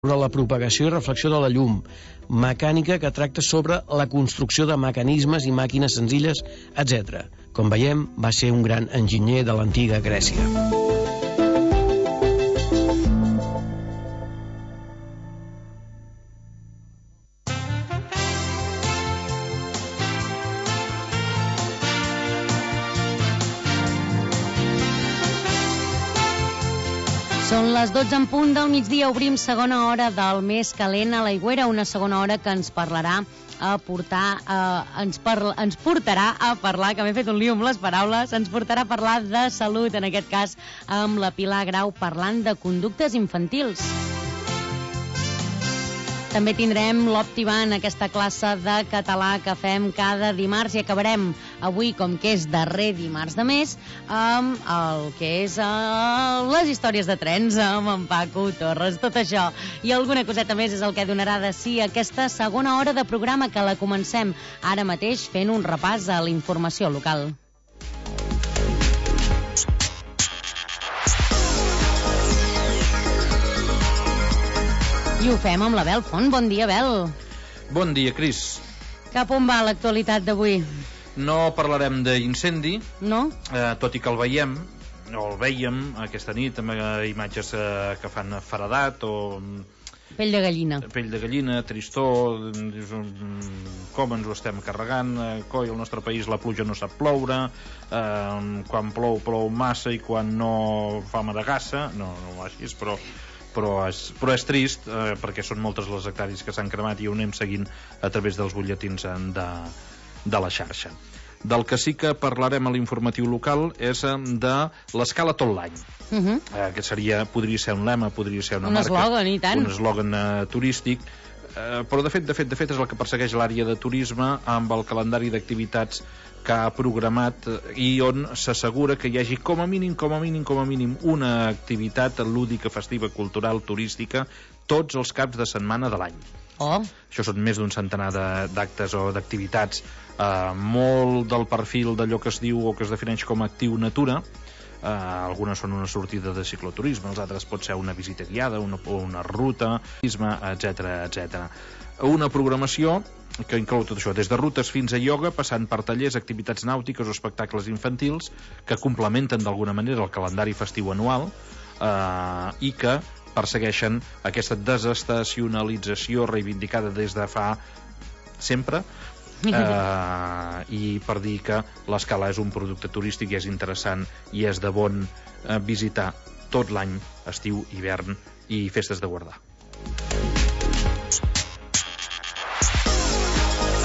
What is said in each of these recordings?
sobre la propagació i reflexió de la llum, mecànica que tracta sobre la construcció de mecanismes i màquines senzilles, etc. Com veiem, va ser un gran enginyer de l'antiga Grècia. Són les 12 en punt del migdia, obrim segona hora del més calent a l'Aigüera, una segona hora que ens portarà a parlar, que m'he fet un lío amb les paraules, ens portarà a parlar de salut, en aquest cas amb la Pilar Grau, parlant de conductes infantils. També tindrem l'Optiban, aquesta classe de català que fem cada dimarts, i acabarem avui, com que és darrer dimarts de mes, amb el que és les històries de trens, amb en Paco Torres. Tot això i alguna coseta més és el que donarà de si aquesta segona hora de programa, que la comencem ara mateix fent un repàs a la informació local. I ho fem amb la Bel Font. Bon dia, Bel. Bon dia, Cris. Cap on va l'actualitat d'avui? No parlarem d'incendi, no? Tot i que el veiem, o el vèiem aquesta nit, amb imatges que fan feredat o... Pell de gallina. Pell de gallina, tristor, com ens ho estem carregant, coi, al nostre país la pluja no sap ploure, quan plou massa i quan no fa madegassa, no així, però és trist, perquè són moltes les hectàrees que s'han cremat i ho anem seguint a través dels butlletins de la xarxa. Del que sí que parlarem a l'informatiu local és de l'escala tot l'any. Que podria ser un lema, podria ser una marca, eslògan, i tant. Un eslògan turístic, però de fet és el que persegueix l'àrea de turisme amb el calendari d'activitats que ha programat i on s'assegura que hi hagi com a mínim una activitat lúdica, festiva, cultural, turística tots els caps de setmana de l'any. Això són més d'un centenar d'actes o d'activitats, molt del perfil d'allò que es diu o que es defineix com a actiu natura. Algunes són una sortida de cicloturisme, els altres pot ser una visita guiada, una ruta, etc. Una programació que inclou tot això, des de rutes fins a ioga, passant per tallers, activitats nàutiques o espectacles infantils que complementen d'alguna manera el calendari festiu anual i que persegueixen aquesta desestacionalització reivindicada des de fa sempre, i per dir que l'escala és un producte turístic i és interessant i és de bon visitar tot l'any, estiu, hivern i festes de guardar.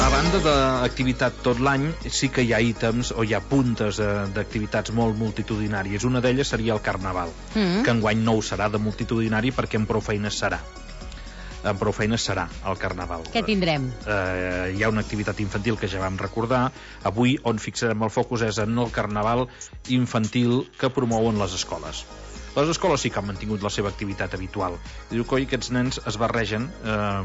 A banda d'activitat tot l'any, sí que hi ha ítems o hi ha puntes d'activitats molt multitudinàries. Una d'elles seria el Carnaval, que enguany no ho serà de multitudinari perquè amb prou feines serà. Amb prou feines serà el Carnaval. Què tindrem? Hi ha una activitat infantil que ja vam recordar. Avui on fixarem el focus és en el Carnaval infantil que promouen les escoles. Les escoles sí que han mantingut la seva activitat habitual. Diu que aquests nens es barregen,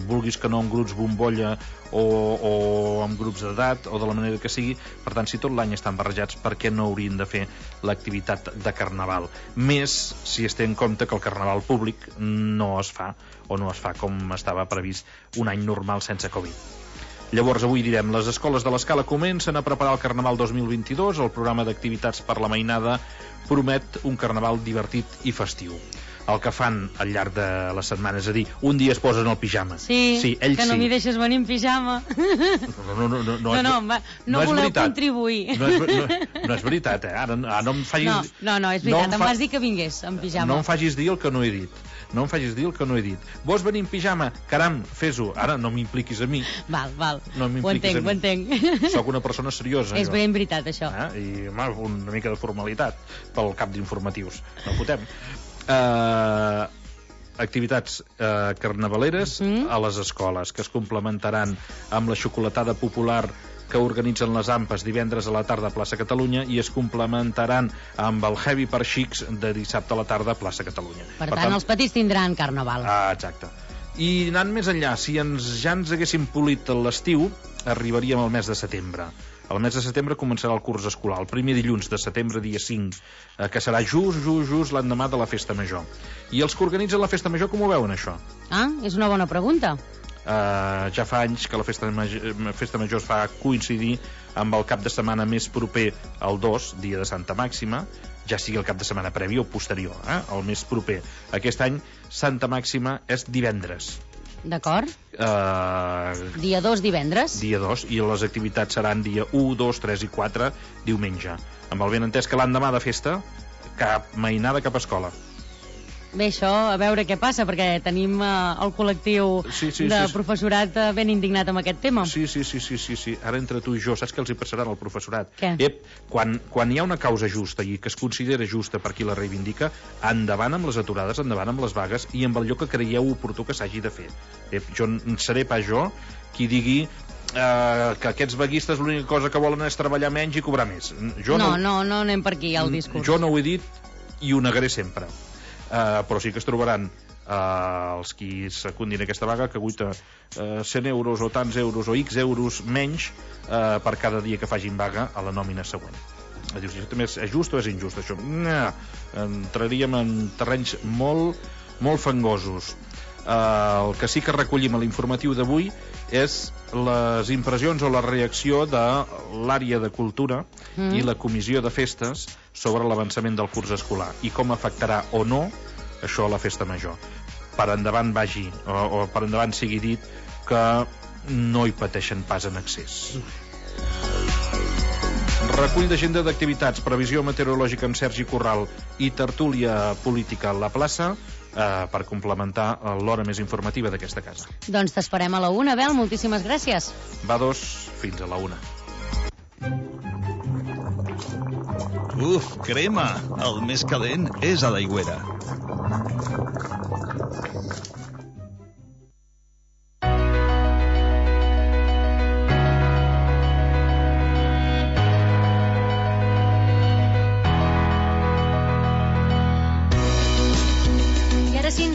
vulguis que no, en grups bombolla o amb grups d'edat o de la manera que sigui. Per tant, si tot l'any estan barrejats, per què no haurien de fer l'activitat de Carnaval? Més si es té en compte que el Carnaval públic no es fa com estava previst un any normal sense Covid. Llavors avui direm, les escoles de l'Escala comencen a preparar el Carnaval 2022, el programa d'activitats per la mainada promet un Carnaval divertit i festiu. El que fan al llarg de les setmanes, és a dir, un dia es posen el pijama. Sí, que no m'hi deixes venir en pijama. No voleu contribuir. No és veritat, Ara no em facis... No, és veritat, em vas dir que vingués en pijama. No em facis dir el que no he dit. Vols venir en pijama? Caram, fes-ho. Ara no m'impliquis a mi. Val. Ho entenc. Soc una persona seriosa. És ben veritat, això. I una mica de formalitat pel cap d'informatius. No fotem. Activitats carnavaleres a les escoles, que es complementaran amb la xocolatada popular que organitzen les AMPAs divendres a la tarda a Plaça Catalunya i es complementaran amb el Heavy per Xics de dissabte a la tarda a Plaça Catalunya. Per tant, els petits tindran Carnaval. Exacte. I anant més enllà, si ja ens haguéssim polit l'estiu, arribaríem al mes de setembre. El mes de setembre començarà el curs escolar, el primer dilluns de setembre, dia 5, que serà just l'endemà de la Festa Major. I els que organitzen la Festa Major, com ho veuen, això? És una bona pregunta. Ja fa anys que la Festa Major es fa coincidir amb el cap de setmana més proper al 2, dia de Santa Màxima, ja sigui el cap de setmana previ o posterior, el més proper. Aquest any, Santa Màxima és divendres. D'acord. Dia 2, divendres. Dia 2, i les activitats seran dia 1, 2, 3 i 4, diumenge. Amb el benentès que l'endemà de festa, cap mainada, cap escola. Bé, això, a veure què passa, perquè tenim el col·lectiu de professorat ben indignat amb aquest tema. Sí. Ara entre tu i jo, saps què els hi passarà al professorat? Què? Quan hi ha una causa justa i que es considera justa per qui la reivindica, endavant amb les aturades, endavant amb les vagues i amb allò que creieu oportú que s'hagi de fer. Jo seré pas jo qui digui que aquests vaguistes l'única cosa que volen és treballar menys i cobrar més. No anem per aquí, el discurs. Jo no ho he dit i ho negaré sempre. Però sí que es trobaran els qui secundin aquesta vaga que guita 100 euros o tants euros o X euros menys per cada dia que facin vaga a la nòmina següent. Dius, també és just o és injust això? Entraríem en terrenys molt fangosos. El que sí que recollim a l'informatiu d'avui és les impressions o la reacció de l'àrea de cultura i la comissió de festes sobre l'avançament del curs escolar i com afectarà o no això a la Festa Major. Per endavant vagi, o per endavant sigui dit que no hi pateixen pas en excés. Recull d'agenda d'activitats, previsió meteorològica amb Sergi Corral i tertúlia política a la plaça per complementar l'hora més informativa d'aquesta casa. Doncs t'esperem a la 1, Abel, moltíssimes gràcies. Va 2, fins a la 1. Crema! El més calent és a l'Aigüera.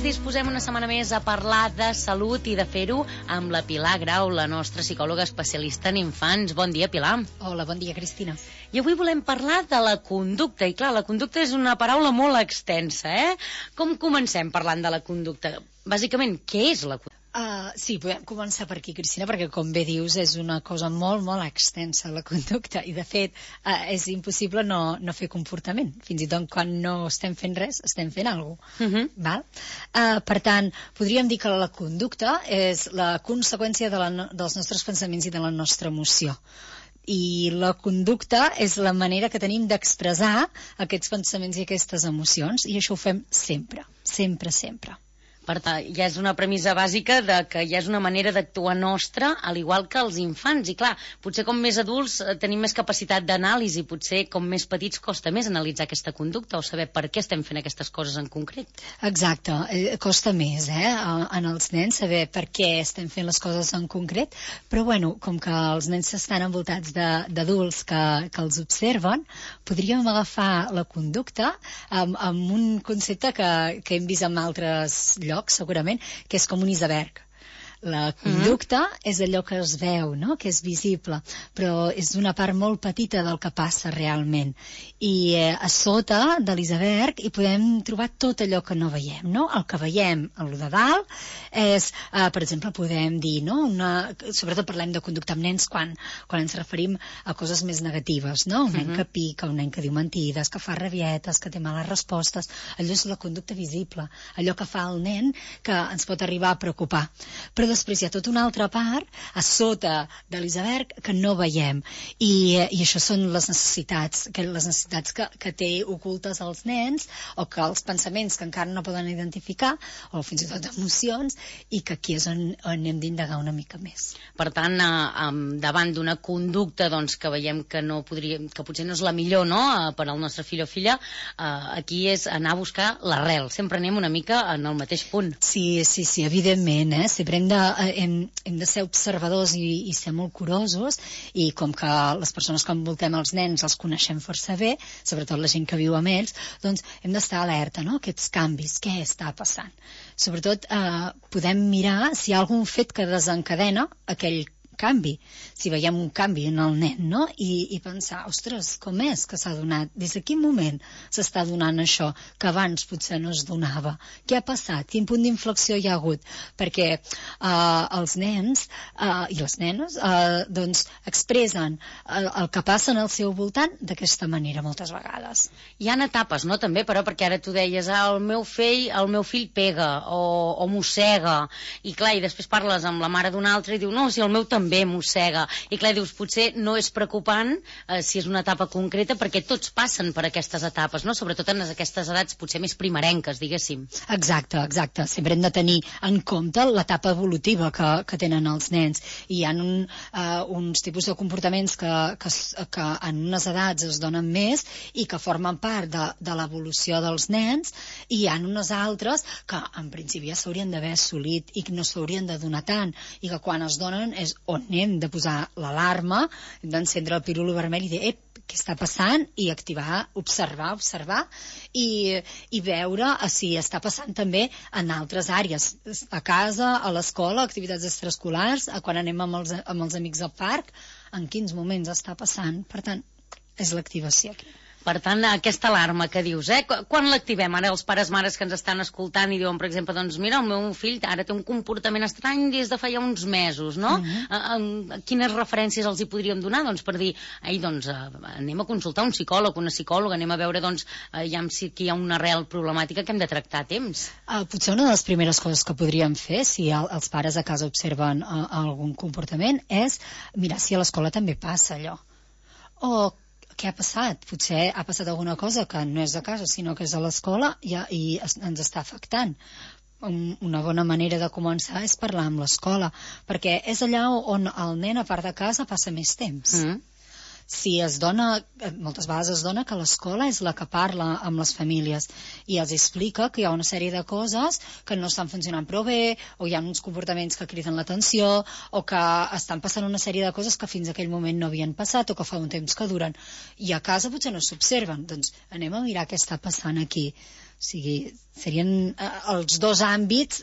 Disposem una setmana més a parlar de salut i de fer-ho amb la Pilar Grau, la nostra psicòloga especialista en infants. Bon dia, Pilar. Hola, bon dia, Cristina. I avui volem parlar de la conducta. I clar, la conducta és una paraula molt extensa, Com comencem parlant de la conducta? Bàsicament, què és la conducta? Sí, podem començar per aquí, Cristina, perquè, com bé dius, és una cosa molt extensa, la conducta, i, de fet, és impossible no fer comportament. Fins i tot quan no estem fent res, estem fent alguna cosa. Val? Per tant, podríem dir que la conducta és la conseqüència dels nostres pensaments i de la nostra emoció. I la conducta és la manera que tenim d'expressar aquests pensaments i aquestes emocions, i això ho fem sempre. Per tant, ja és una premissa bàsica de que ja és una manera d'actuar nostra, al igual que els infants. I clar, potser com més adults tenim més capacitat d'anàlisi, potser com més petits costa més analitzar aquesta conducta o saber per què estem fent aquestes coses en concret. Exacte, costa més, en els nens saber per què estem fent les coses en concret, però bueno, com que els nens estan envoltats d'adults que els observen, podríem agafar la conducta amb un concepte que hem vist en altres llocs, segurament, que és com un iceberg. La conducta és allò que es veu, no? Que és visible, però és una part molt petita del que passa realment. I a sota de l'iceberg hi podem trobar tot allò que no veiem, no? El que veiem, el de dalt, és, per exemple, podem dir, no? Sobretot parlem de conducta amb nens quan ens referim a coses més negatives, no? Un nen que pica, un nen que diu mentides, que fa rabietes, que té males respostes. Allò és la conducta visible, allò que fa el nen que ens pot arribar a preocupar. Però després hi ha tota una altra part a sota de l'iceberg que no veiem, i això són les necessitats que té ocultes als nens, o que els pensaments que encara no poden identificar, o fins i tot emocions, i que aquí és on hem d'indagar una mica més. Per tant, davant d'una conducta que veiem que potser no és la millor, no?, per al nostre fill o filla, aquí és anar a buscar l'arrel. Sempre anem una mica en el mateix punt. Sí, evidentment, sempre hem de ser observadors i ser molt curosos, i com que les persones que envoltem els nens els coneixem força bé, sobretot la gent que viu amb ells, doncs hem d'estar alerta, no?, aquests canvis, què està passant. Sobretot podem mirar si hi ha algun fet que desencadena aquell canvi, si veiem un canvi en el nen, no? I pensar, ostres, com és que s'ha donat? Des de quin moment s'està donant això que abans potser no es donava? Què ha passat? Quin punt d'inflexió hi ha hagut? Perquè els nens i les nenes doncs expressen el que passa en el seu voltant d'aquesta manera moltes vegades. Hi ha etapes, no, també, però, perquè ara tu deies, el meu fill pega o mossega, i clar, i després parles amb la mare d'un altre i diu, no, si el meu també mossega, i clar, dius, potser no és preocupant si és una etapa concreta, perquè tots passen per aquestes etapes, no? Sobretot en aquestes edats potser més primerenques, diguéssim. Exacte. Sempre hem de tenir en compte l'etapa evolutiva que tenen els nens. I hi ha uns tipus de comportaments que en unes edats es donen més i que formen part de l'evolució dels nens, i hi ha unes altres que en principi ja s'haurien d'haver assolit i que no s'haurien de donar tant, i que quan es donen és on hem de posar l'alarma, hem d'encendre el pirulo vermell i dir, què està passant, i activar, observar i veure si està passant també en altres àrees, a casa, a l'escola, activitats extraescolars, quan anem amb els amics al parc, en quins moments està passant. Per tant, és l'activació aquí. Per tant, aquesta alarma que dius, quan l'activem? Ara els pares, mares que ens estan escoltant i diuen, per exemple, doncs mira, el meu fill ara té un comportament estrany des de fa ja uns mesos, no? Quines referències els hi podríem donar? Doncs per dir, doncs anem a consultar un psicòleg, una psicòloga, anem a veure, doncs, si aquí hi ha una real problemàtica que hem de tractar a temps. Potser una de les primeres coses que podríem fer, si els pares a casa observen algun comportament, és mirar si a l'escola també passa allò. O què ha passat? Potser ha passat alguna cosa que no és a casa, sinó que és a l'escola i ens està afectant. Una bona manera de començar és parlar amb l'escola, perquè és allà on el nen, a part de casa, passa més temps. Si es dona, moltes vegades es dona que l'escola és la que parla amb les famílies i els explica que hi ha una sèrie de coses que no estan funcionant prou bé, o hi ha uns comportaments que criden l'atenció, o que estan passant una sèrie de coses que fins a aquell moment no havien passat o que fa un temps que duren, i a casa potser no s'observen. Doncs anem a mirar què està passant aquí. O sigui, serien els dos àmbits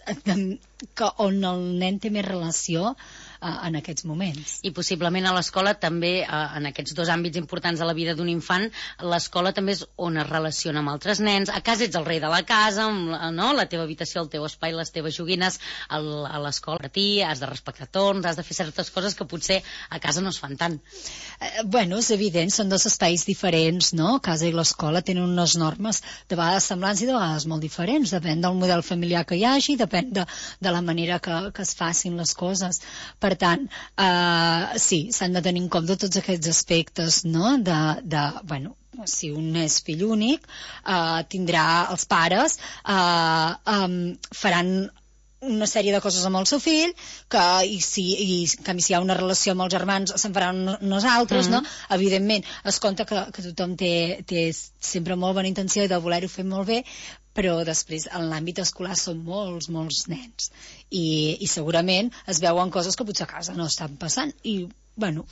on el nen té més relació en aquests moments. I possiblement a l'escola també, en aquests dos àmbits importants de la vida d'un infant, l'escola també és on es relaciona amb altres nens. A casa ets el rei de la casa, no? La teva habitació, el teu espai, les teves joguines. A l'escola, per ti, has de respectar torns, has de fer certes coses que potser a casa no es fan tant. Bueno, és evident, són dos espais diferents, no? Casa i l'escola tenen unes normes de vegades semblants i de vegades molt diferents. Depèn del model familiar que hi hagi, depèn de la manera que es facin les coses. Per tant, sí, s'han de tenir en compte tots aquests aspectes, no? Bueno, si un és fill únic, tindrà els pares, faran una sèrie de coses amb el seu fill, en canvi si hi ha una relació amb els germans se'n faran unes altres, no? Evidentment, es compta que tothom té sempre molt bona intenció i de voler-ho fer molt bé, però després en l'àmbit escolar són molts nens i segurament es veuen coses que potser a casa no estan passant i bueno,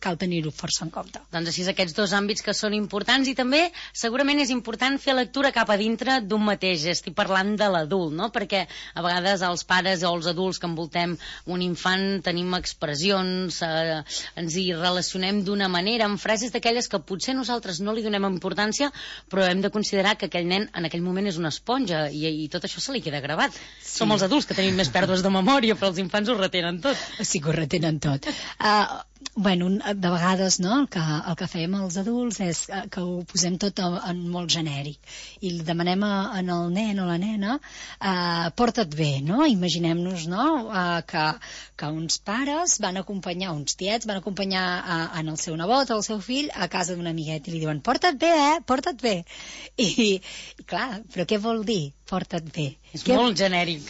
cal tenir-ho força en compte. Doncs així aquests dos àmbits que són importants, i també segurament és important fer lectura cap a dintre d'un mateix. Estic parlant de l'adult, no? Perquè a vegades els pares o els adults que envoltem un infant tenim expressions, ens hi relacionem d'una manera, amb frases d'aquelles que potser nosaltres no li donem importància, però hem de considerar que aquell nen en aquell moment és una esponja i tot això se li queda gravat. Sí. Som els adults que tenim més pèrdues de memòria, però els infants ho retenen tot. Sí que ho retenen tot. Bueno, de vegades, no, el que fem els adults és que ho posem tot en molt genèric i demanem al nen o la nena porta't bé, no? Imaginem-nos, no, que uns pares van acompanyar, uns tiets van acompanyar en el seu nebot o el seu fill a casa d'un amiguet i li diuen porta't bé, porta't bé. I clar, però què vol dir porta't bé? És molt genèric.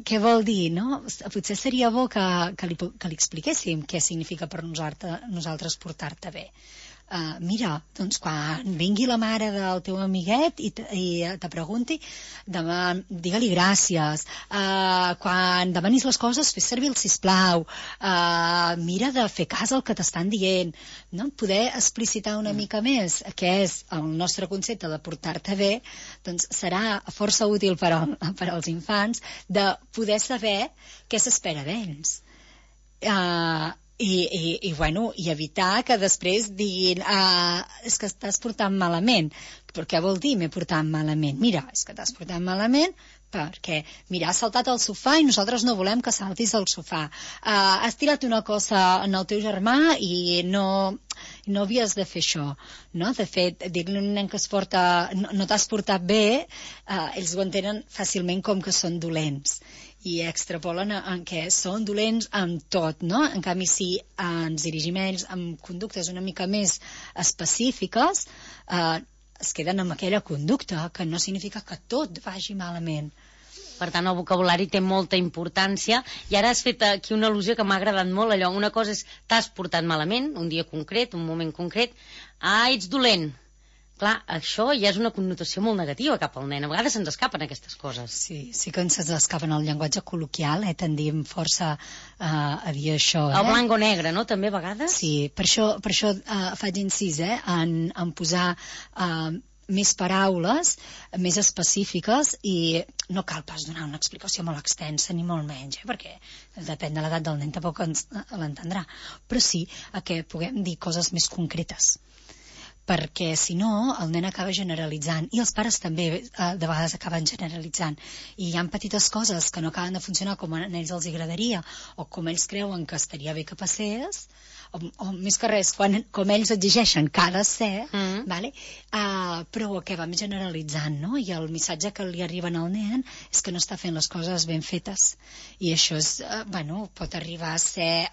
Què vol dir, no? Potser seria bo que li expliquéssim què significa per nosaltres portar-te bé. Mira, doncs quan vingui la mare del teu amiguet i te pregunti, digue-li gràcies. Quan demanis les coses, fes servir el sisplau. Mira de fer cas al que t'estan dient. No? Poder explicitar una mica més què és el nostre concepte de portar-te bé, doncs serà força útil per als infants de poder saber què s'espera d'ells. I evitar que després diguin és que estàs portant malament. Però què vol dir m'he portat malament? Mira, és que t'has portat malament perquè, mira, has saltat al sofà i nosaltres no volem que saltis al sofà. Has tirat una cosa en el teu germà i no havies de fer això, no? De fet, dir-li a un nen que es porta no t'has portat bé, ells ho entenen fàcilment com que són dolents i extrapolen en què són dolents amb tot, no? En canvi, si ens dirigim a ells amb conductes una mica més específiques, es queden amb aquella conducta, que no significa que tot vagi malament. Per tant, el vocabulari té molta importància. I ara has fet aquí una al·lusió que m'ha agradat molt, allò. Una cosa és t'has portat malament, un dia concret, un moment concret. Ets dolent. Clar, això ja és una connotació molt negativa cap al nen. A vegades se'ns escapen aquestes coses. Sí que ens escapen el llenguatge col·loquial, tendim força a dir això. El blanc o negre, no?, també a vegades? Sí, per això faig incís en posar més paraules, més específiques, i no cal pas donar una explicació molt extensa, ni molt menys, perquè depèn de l'edat del nen, tampoc l'entendrà. Però sí que puguem dir coses més concretes, perquè si no el nen acaba generalitzant i els pares també de vegades acaben generalitzant i hi ha petites coses que no acaben de funcionar com a ells els agradaria o com ells creuen que estaria bé que passés o més que res com ells exigeixen que ha de ser, vale? Però acabem generalitzant, no? I el missatge que li arriba al nen és que no està fent les coses ben fetes i això és, pot arribar a ser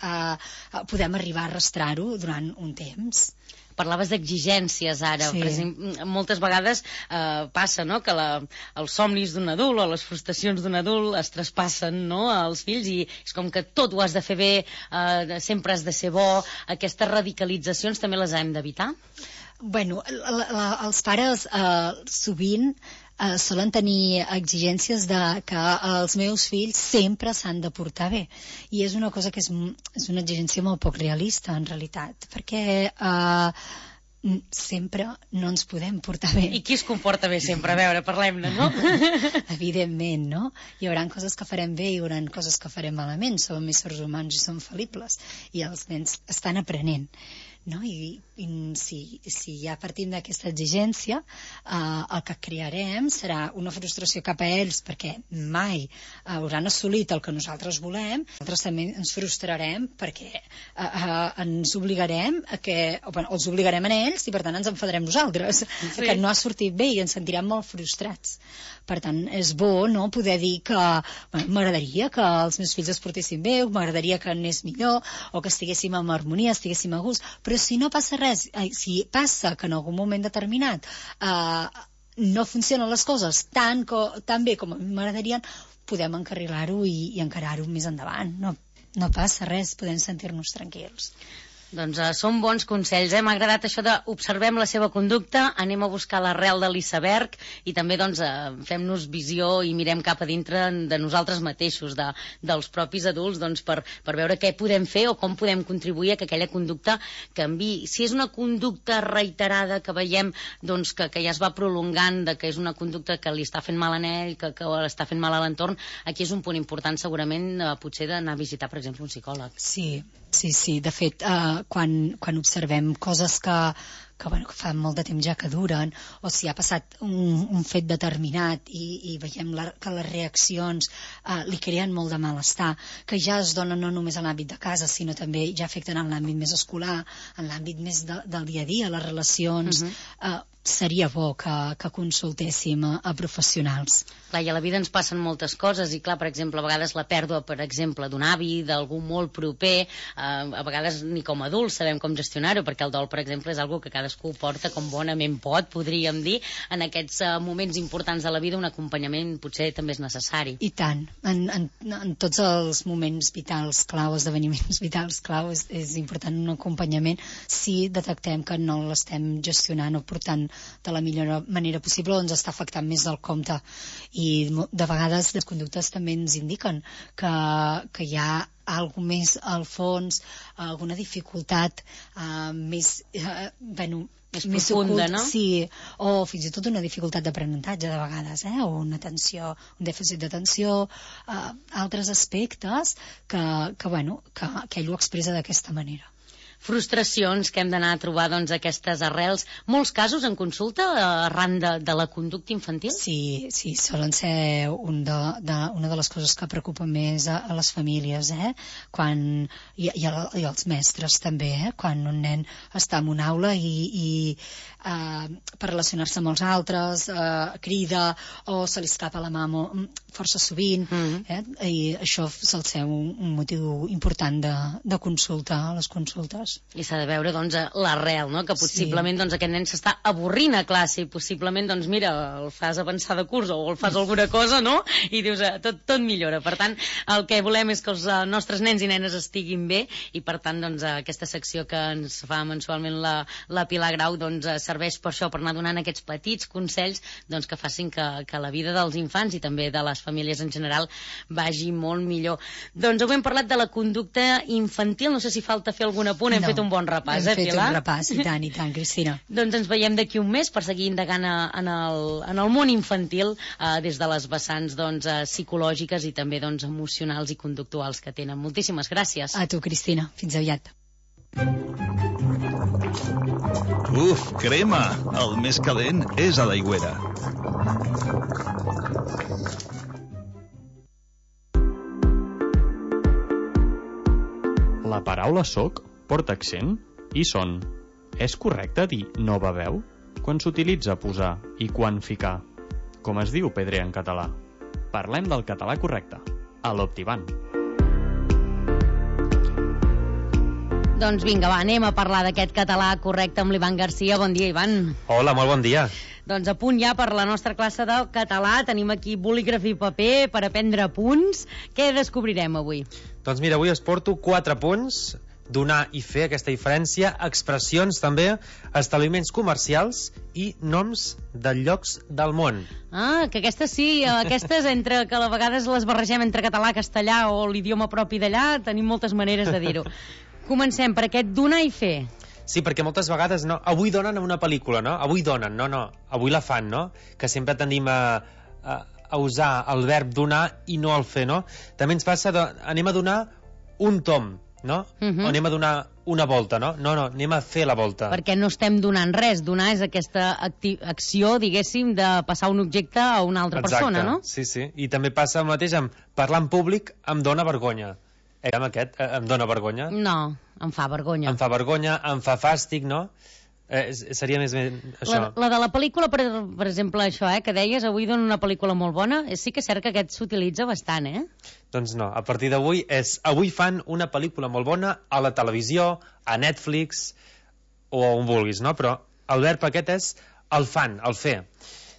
podem arribar a arrastrar-ho durant un temps. Parlaves d'exigències ara, sí. Per exemple, moltes vegades passa, no?, que els somnis d'un adult o les frustracions d'un adult es traspassen, no?, als fills i és com que tot ho has de fer bé, sempre has de ser bo. Aquestes radicalitzacions també les hem d'evitar? Bueno, els pares sovint solen tenir exigències de que els meus fills sempre s'han de portar bé i és una cosa que és una exigència molt poc realista en realitat, perquè sempre no ens podem portar bé. I qui es comporta bé sempre? A veure, parlem-ne, no? Evidentment, no? Hi haurà coses que farem bé i hi haurà coses que farem malament, som éssers humans i som fal·libles i els nens estan aprenent, no? I si ja partim d'aquesta exigència, el que crearem serà una frustració cap a ells perquè mai hauran assolit el que nosaltres volem. Nosaltres també ens frustrarem perquè ens obligarem els obligarem a ells i per tant ens enfadarem nosaltres, sí. Que no ha sortit bé i ens sentirem molt frustrats. Per tant, és bo, no?, poder dir que m'agradaria que els meus fills es portessin bé, m'agradaria que anés millor o que estiguéssim en harmonia, estiguéssim a gust, però si no passa res, si passa que en algun moment determinat no funcionen les coses tan bé com a mi m'agradarien, podem encarrilar-ho i encarar-ho més endavant. No passa res, podem sentir-nos tranquils. Doncs són bons consells, M'ha agradat això de observem la seva conducta, anem a buscar l'arrel de l'iceberg i també fem-nos visió i mirem cap a dintre de nosaltres mateixos, dels propis adults, per veure què podem fer o com podem contribuir a que aquella conducta canviï. Si és una conducta reiterada que veiem que ja es va prolongant, que és una conducta que li està fent mal a ell, que està fent mal a l'entorn, aquí és un punt important segurament potser d'anar a visitar, per exemple, un psicòleg. Sí, de fet, quan observem coses que fa molt de temps ja que duren, o si ha passat un fet determinat i veiem que les reaccions li creen molt de malestar, que ja es donen no només en l'àmbit de casa, sinó també ja afecten en l'àmbit més escolar, en l'àmbit més del dia a dia, les relacions, seria bo que consultéssim a professionals. Clar, i a la vida ens passen moltes coses i clar, per exemple, a vegades la pèrdua, per exemple, d'un avi, d'algú molt proper, a vegades ni com a adults sabem com gestionar-ho, perquè el dol, per exemple, és algo que cadascú porta com bonament pot, podríem dir. En aquests moments importants de la vida un acompanyament potser també és necessari. I tant, en tots els moments vitals clau, esdeveniments vitals clau, és important un acompanyament si detectem que no l'estem gestionant o portant de la millor manera possible o ens està afectant més del compte. I de vegades les conductes també ens indiquen que hi ha alguna més al fons, alguna dificultat més més profunda, no? Sí, o fins i tot una dificultat d'aprenentatge de vegades, o una tensió, un dèficit d'atenció, altres aspectes que ell ho expressa d'aquesta manera. Frustracions que hem d'anar a trobar aquestes arrels. Molts casos en consulta arran de la conducta infantil? Sí, solen ser una de les coses que preocupa més a les famílies, i als mestres també, quan un nen està en una aula i per relacionar-se amb els altres crida o se li escapa la mà força sovint, i això sol ser un motiu important de consulta a les consultes. I s'ha de veure, l'arrel, no? Que possiblement aquest nen s'està avorrint a classe i possiblement, mira, el fas avançar de curs o el fas alguna cosa, no? I dius, tot millora. Per tant, el que volem és que els nostres nens i nenes estiguin bé i, per tant, aquesta secció que ens fa mensualment la Pilar Grau serveix per això, per anar donant aquests petits consells que facin que la vida dels infants i també de les famílies en general vagi molt millor. Avui hem parlat de la conducta infantil, no sé si falta fer algun apunt. Hem fet un bon repàs, Pilar? Hem fet un repàs, i tant, Cristina. Doncs ens veiem d'aquí un mes per seguir indagant en el món infantil des de les vessants psicològiques i també emocionals i conductuals que tenen. Moltíssimes gràcies. A tu, Cristina. Fins aviat. Crema! El més calent és a l'Aigüera. La paraula soc porta accent i son. És correcte dir nova veu? Quan s'utilitza posar i quan ficar? Com es diu pedrer en català? Parlem del català correcte, a l'Optivan. Doncs vinga, anem a parlar d'aquest català correcte amb l'Ivan Garcia. Bon dia, Ivan. Hola, molt bon dia. Doncs a punt ja per la nostra classe de català. Tenim aquí bolígraf i paper per aprendre punts. Què descobrirem avui? Doncs mira, avui es porto 4 punts: donar i fer, aquesta diferència, expressions també, establiments comercials i noms de llocs del món. Que aquestes sí, aquestes entre que a vegades les barregem entre català, castellà o l'idioma propi d'allà, tenim moltes maneres de dir-ho. Comencem per aquest donar i fer. Sí, perquè moltes vegades avui donen a una pel·lícula, no? Avui donen, no, avui la fan, no? Que sempre tendim a usar el verb donar i no el fer, no? També ens passa, anem a donar un tom, no? O anem a donar una volta, no? No, anem a fer la volta. Perquè no estem donant res. Donar és aquesta acció, diguéssim, de passar un objecte a una altra persona, no? Sí. I també passa el mateix amb parlar en públic em dóna vergonya. Amb aquest, em dóna vergonya? No, em fa vergonya. Em fa vergonya, em fa fàstic, no? Seria més això. La de la pel·lícula, per exemple, això, que deies, avui dona una pel·lícula molt bona, sí que és cert que aquest s'utilitza bastant, Doncs no, a partir d'avui avui fan una pel·lícula molt bona a la televisió, a Netflix, o on vulguis, no? Però el verb aquest és el fan, el fer.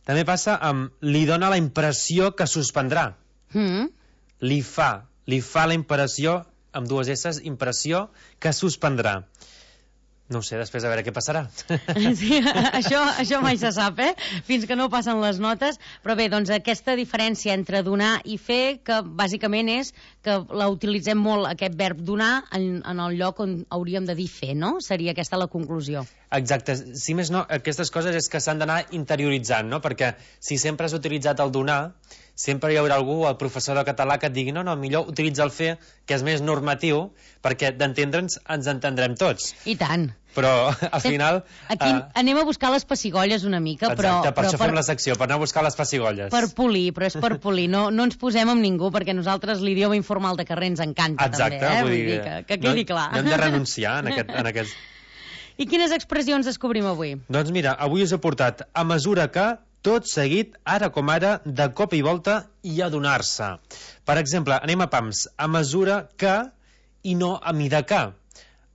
També passa amb li dona la impressió que suspendrà. Li fa la impressió, amb 2 esses, impressió que suspendrà. No ho sé, després a veure què passarà. Sí, això mai se sap, fins que no passen les notes. Però bé, doncs aquesta diferència entre donar i fer, que bàsicament és que la utilitzem molt, aquest verb donar, en el lloc on hauríem de dir fer, no? Seria aquesta la conclusió. Exacte. Si més no, aquestes coses és que s'han d'anar interioritzant, no? Perquè si sempre has utilitzat el donar, sempre hi haurà algú, el professor de català, que et digui no, millor utilitza el fer, que és més normatiu, perquè d'entendre'ns ens entendrem tots. I tant. Però al final... Aquí anem a buscar les pessigolles una mica, però... Exacte, per això fem la secció, per anar a buscar les pessigolles. Per polir, però és per polir, no ens posem amb ningú, perquè nosaltres l'idioma informal de carrer ens encanta. Exacte, també, vull dir que quedi clar. No hem de renunciar en aquest... I quines expressions descobrim avui? Doncs mira, avui us he portat a mesura que, tot seguit, ara com ara, de cop i volta, i adonar-se. Per exemple, anem a pams, a mesura que i no a mida que.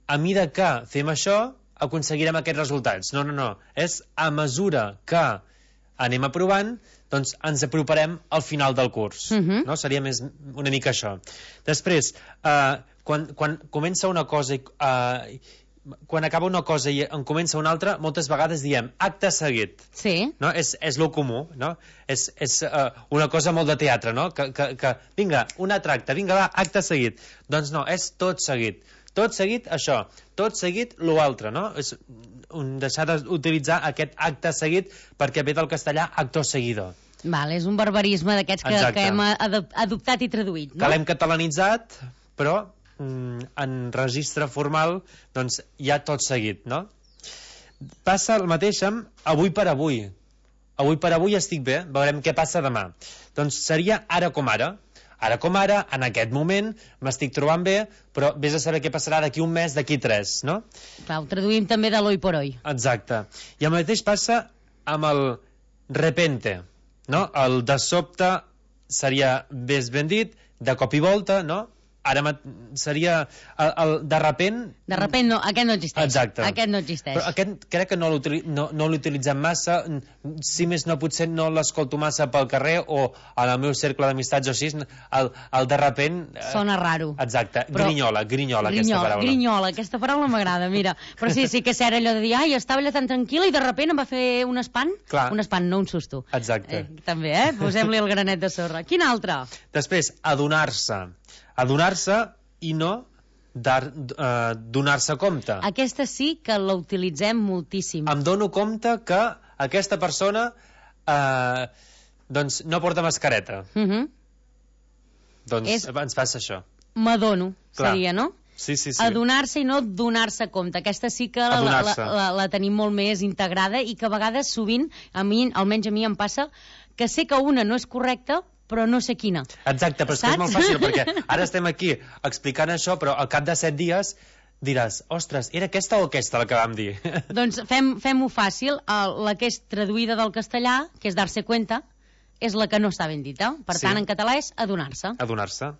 A mida que fem això, aconseguirem aquests resultats. No. És a mesura que anem aprovant, doncs ens aproparem al final del curs. No? Seria més una mica això. Després, quan comença una cosa quan acaba una cosa i en comença una altra, moltes vegades diem acte seguit. Sí. No? És lo comú, no? És una cosa molt de teatre, no? Que vinga, un altre acte, vinga, va, acte seguit. Doncs no, és tot seguit. Tot seguit, això. Tot seguit, lo altre, no? És deixar d'utilitzar aquest acte seguit perquè ve del castellà actor seguidor. Val, és un barbarisme d'aquests que hem adoptat i traduït, no? Que l'hem catalanitzat, però en registre formal doncs hi ha tot seguit, no? Passa el mateix amb avui per avui. Avui per avui estic bé, veurem què passa demà. Doncs seria ara com ara. Ara com ara, en aquest moment, m'estic trobant bé, però vés a saber què passarà d'aquí un mes, d'aquí 3, no? Clar, ho traduïm també de l'hoy por hoy. Exacte. I el mateix passa amb el repente, no? El de sobte seria més ben dit, de cop i volta, no? Ara seria el de repent... De repent no, aquest no existeix. Exacte. Aquest no existeix. Però aquest crec que no l'utilitzem massa, si més no potser no l'escolto massa pel carrer o en el meu cercle d'amistats o així, el de repent... Sona raro. Exacte, però... grinyola aquesta paraula. Grinyola, aquesta paraula m'agrada, mira. Però sí que és cert allò de dir, ai, estava allà tan tranquil·la i de repent em va fer un espant. Clar. Un espant, no un susto. Exacte. També, posem-li el granet de sorra. Quin altre? Després, adonar-se i no donar-se compte. Aquesta sí que la utilitzem moltíssim. Em dono compte que aquesta persona doncs no porta mascareta. Doncs ens passa això. M'adono, seria, no? Sí. Adonar-se i no donar-se compte. Aquesta sí que la tenim molt més integrada i que a vegades sovint, almenys a mi em passa, que sé que una no és correcta, però no sé quina. Exacte, però és que és molt fàcil, perquè ara estem aquí explicant això, però al cap de 7 dies diràs, ostres, era aquesta o aquesta la que vam dir? Doncs fem-ho fàcil. La que és traduïda del castellà, que és dar-se cuenta, és la que no està ben dita. Per tant, en català és adonar-se. Adonar-se.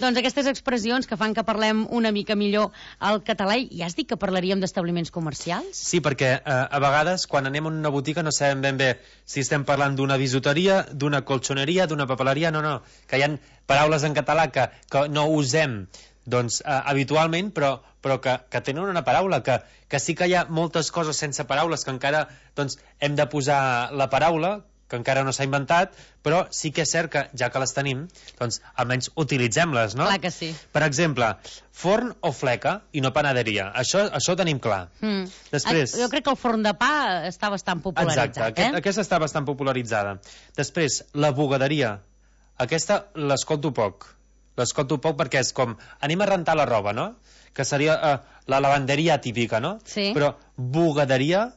Doncs aquestes expressions que fan que parlem una mica millor el català, ja has dit que parlaríem d'establiments comercials? Sí, perquè a vegades quan anem a una botiga no sabem ben bé si estem parlant d'una bisuteria, d'una colxoneria, d'una papeleria, no, que hi ha paraules en català que no usem doncs, habitualment, però que tenen una paraula, que sí que hi ha moltes coses sense paraules que encara doncs, hem de posar la paraula, que encara no s'ha inventat, però sí que és cert que, ja que les tenim, doncs almenys utilitzem-les, no? Clar que sí. Per exemple, forn o fleca i no panaderia. Això ho tenim clar. Després... Jo crec que el forn de pa està bastant popularitzat. Exacte, aquesta està bastant popularitzada. Després, la bugaderia. Aquesta l'escolto poc. L'escolto poc perquè és com, anem a rentar la roba, no? Que seria la lavanderia típica, no? Sí. Però bugaderia...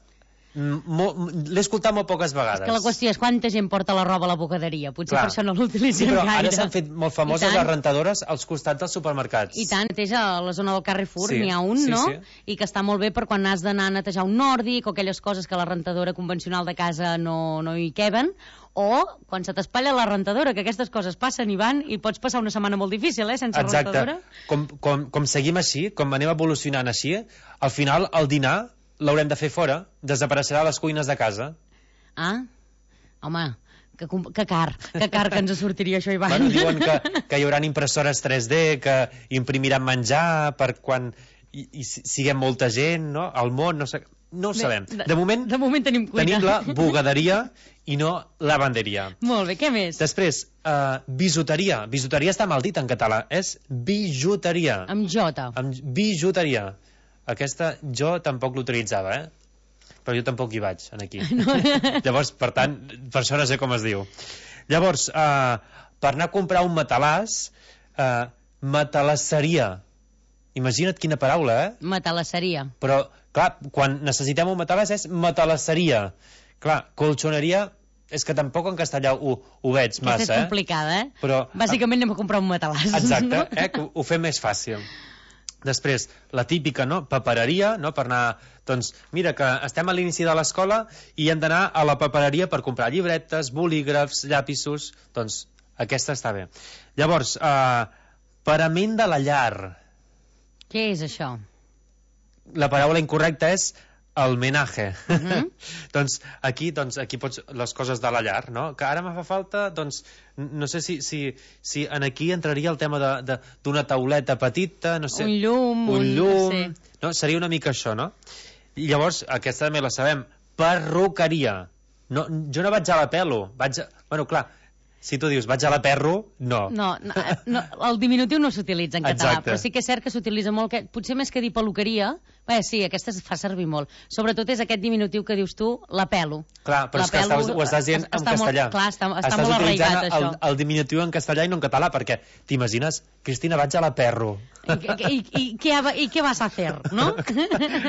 l'he escoltat molt poques vegades. És que la qüestió és quanta gent porta la roba a la bugaderia. Potser per això no l'utilitzem gaire. Sí, però ara s'han fet molt famoses les rentadores als costats dels supermercats. I tant, a la zona del Carrefour n'hi ha un, no? I que està molt bé per quan has d'anar a netejar un nòrdic o aquelles coses que la rentadora convencional de casa no hi queben, o quan se t'espatlla la rentadora, que aquestes coses passen i van i pots passar una setmana molt difícil, sense rentadora. Com seguim així, com anem evolucionant així, al final el dinar l'haurem de fer fora, desapareixerà a les cuines de casa. Ah, home, que car que ens sortiria això, Ivan. Bueno, diuen que hi haurà impressores 3D, que imprimiran menjar per quan hi siguem molta gent, no? Al món, no sé... No ho sabem. De moment tenim cuina. Tenim la bugaderia i no lavanderia. Molt bé, què més? Després, bisuteria. Bisuteria està mal dit en català. És bijuteria. Amb jota. Amb bijuteria. Aquesta jo tampoc l'utilitzava, però jo tampoc hi vaig, aquí. No. Llavors, per tant, per això no sé com es diu. Llavors, per anar a comprar un matalàs, matalasseria. Imagina't quina paraula, Matalasseria. Però, clar, quan necessitem un matalàs és matalasseria. Clar, colxoneria és que tampoc en castellà ho veig massa, Aquesta és complicada, Però, bàsicament anem a comprar un matalàs. Exacte, no? Que ho fem més fàcil. Després, la típica, no? Papereria, no? Per anar... Doncs, mira, que estem a l'inici de l'escola i hem d'anar a la papereria per comprar llibretes, bolígrafs, llapisos... Doncs, aquesta està bé. Llavors, parament de la llar. Què és això? La paraula incorrecta és el menaje. Doncs aquí pots les coses de la llar, no? Que ara me fa falta, doncs, no sé si en aquí entraria el tema d'una tauleta petita, no sé... Un llum, no sé. No? Seria una mica això, no? I llavors, aquesta també la sabem, perruqueria. No, jo no vaig a la pelo, Bueno, clar, si tu dius vaig a la perro, no. No, el diminutiu no s'utilitza en català, exacte. però sí que és cert que s'utilitza molt, potser més que dir peluqueria, sí, aquesta es fa servir molt. Sobretot és aquest diminutiu que dius tu, la pelo. Clar, però és que ho estàs dient en castellà. Clar, està molt arraigat, això. El diminutiu en castellà i no en català, perquè t'imagines, Cristina, vaig a la perro. I què vas a fer, no?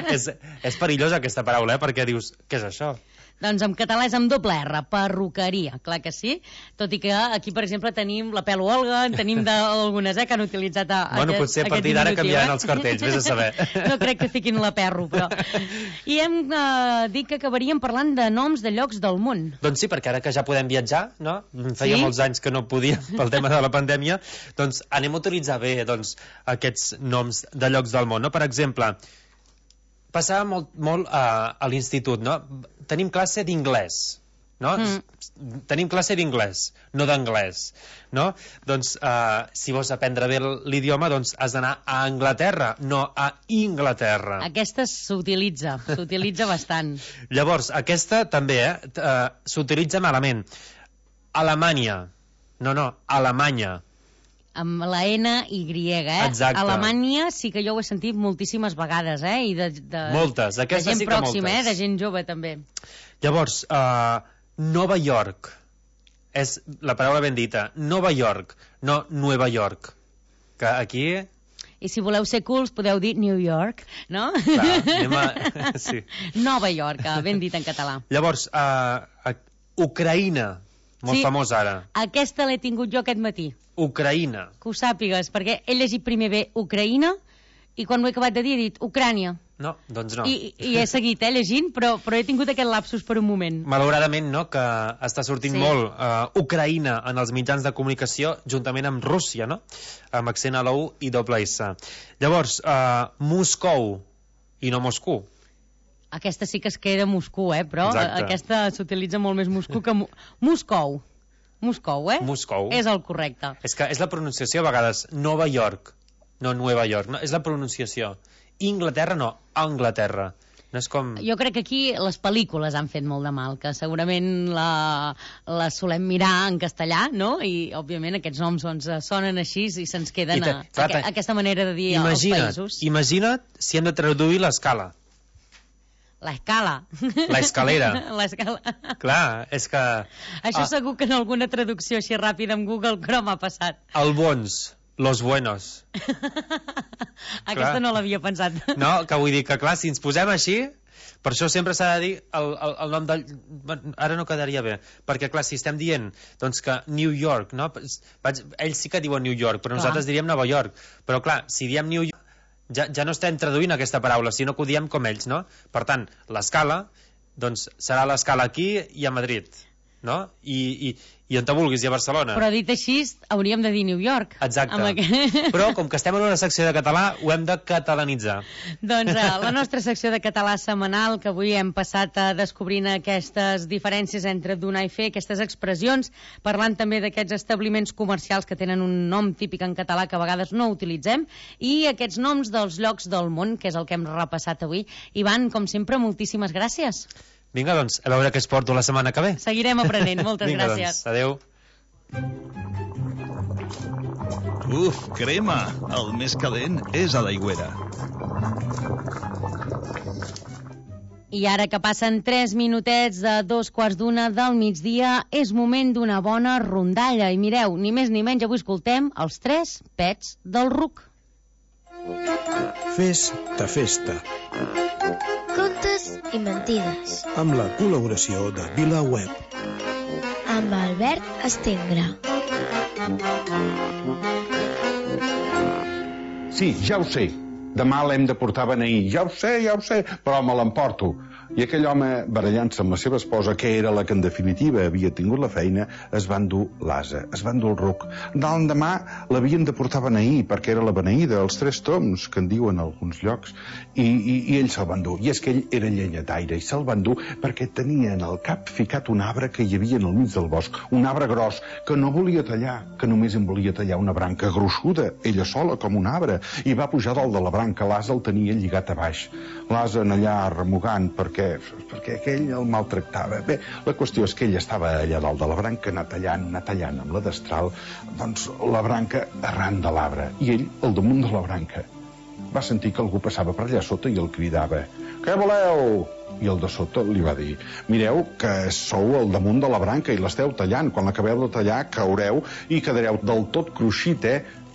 És perillosa aquesta paraula, perquè dius, què és això? Doncs en català és amb doble R, perruqueria, clar que sí, tot i que aquí, per exemple, tenim la pelo Olga, en tenim algunes que han utilitzat potser a partir d'ara canviaran els cartells, vés a saber. No crec que fiquin la perro, però... I hem dit que acabaríem parlant de noms de llocs del món. Doncs sí, perquè ara que ja podem viatjar, no? Feia molts anys que no podíem pel tema de la pandèmia, doncs anem a utilitzar bé aquests noms de llocs del món, no? Per exemple, passava molt a l'institut, no? Tenim classe d'inglès, no? Tenim classe d'inglès, no d'anglès, no? Doncs, si vols aprendre bé l'idioma, doncs has d'anar a Anglaterra, no a Inglaterra. Aquesta s'utilitza bastant. Llavors, aquesta també, s'utilitza malament. Alemanya. No, Alemanya. Amb la N-Y, Exacte. Alemanya sí que jo ho he sentit moltíssimes vegades, i moltes, aquesta de gent sí que pròxima, moltes. De gent jove també. Llavors, Nova York, és la paraula ben dita, Nova York, no Nueva York, que aquí... I si voleu ser cools podeu dir New York, no? Clar, sí. Nova York, ben dit en català. Llavors, Ucraïna, molt famós ara. Aquesta l'he tingut jo aquest matí. Ucraïna. Que ho sàpigues, perquè he llegit primer bé Ucraïna i quan ho he acabat de dir he dit Ucrània. No, doncs no. I he seguit llegint, però he tingut aquest lapsus per un moment. Malauradament, no?, que està sortint molt Ucraïna en els mitjans de comunicació juntament amb Rússia, no?, amb accent a la U i doble S. Llavors, Moscou i no Moscou. Aquesta sí que es queda Moscou, però exacte. Aquesta s'utilitza molt més Moscou que... Moscou, Moscou. És el correcte. És que és la pronunciació a vegades Nova York, no Nueva York, no? És la pronunciació. Inglaterra no, Anglaterra. No és com... Jo crec que aquí les pel·lícules han fet molt de mal, que segurament la solem mirar en castellà, no? I, òbviament, aquests noms sonen així i se'ns queden aquesta manera de dir als països. Imagina't si hem de traduir l'escala. L'escala. L'escalera. L'escala. Clar, és que... Això segur que en alguna traducció així ràpida amb Google Chrome ha passat. El bons, los buenos. Aquesta no l'havia pensat. No, que vull dir que, clar, si ens posem així, per això sempre s'ha de dir el nom del... Ara no quedaria bé, perquè, clar, si estem dient doncs que New York, no? Ells sí que diuen New York, però nosaltres diríem Nova York. Però, clar, si diem New York, ja no estem traduint aquesta paraula, sinó que ho diem com ells, no? Per tant, l'escala, doncs serà l'escala aquí i a Madrid, no? I on te vulguis, i a Barcelona. Però dit així, hauríem de dir New York. Exacte. Però, com que estem en una secció de català, ho hem de catalanitzar. Doncs la nostra secció de català setmanal, que avui hem passat descobrint aquestes diferències entre donar i fer, aquestes expressions, parlant també d'aquests establiments comercials que tenen un nom típic en català que a vegades no utilitzem, i aquests noms dels llocs del món, que és el que hem repassat avui. Ivan, com sempre, moltíssimes gràcies. Vinga, doncs, a veure què es porto la setmana que ve. Seguirem aprenent. Moltes gràcies. Doncs, adeu. Crema! El més calent és a l'Aigüera. I ara que passen 3 minutets de 2:15 del migdia, és moment d'una bona rondalla. I mireu, ni més ni menys, avui escoltem els 3 pets del ruc. Festa. Contes i mentides. Amb la col·laboració de VilaWeb. Amb Albert Estengre. Sí, ja ho sé. Demà l'hem de portar a beneir. Ja ho sé, però me l'emporto. I aquell home, barallant-se amb la seva esposa, que era la que en definitiva havia tingut la feina, es van dur l'ase, es van dur el ruc. L'endemà l'havien de portar a beneir, perquè era la beneïda, els 3 toms, que en diuen a alguns llocs, i ell se'l van dur. I és que ell era llenyataire, i se'l van dur perquè tenia en el cap ficat un arbre que hi havia en el mig del bosc, un arbre gros, que no volia tallar, que només en volia tallar una branca gruixuda, ella sola com un arbre, i va pujar dalt de la branca, l'ase el tenia lligat a baix. L'ase en allà remugant perquè aquell el maltractava. Bé, la qüestió és que ell estava allà dalt de la branca, anar tallant amb la destral, doncs la branca arran de l'arbre, i ell al damunt de la branca. Va sentir que algú passava per allà sota i el cridava: «Què voleu?» I el de sota li va dir: «Mireu que sou al damunt de la branca i l'esteu tallant. Quan l'acabeu de tallar caureu i quedareu del tot cruixit,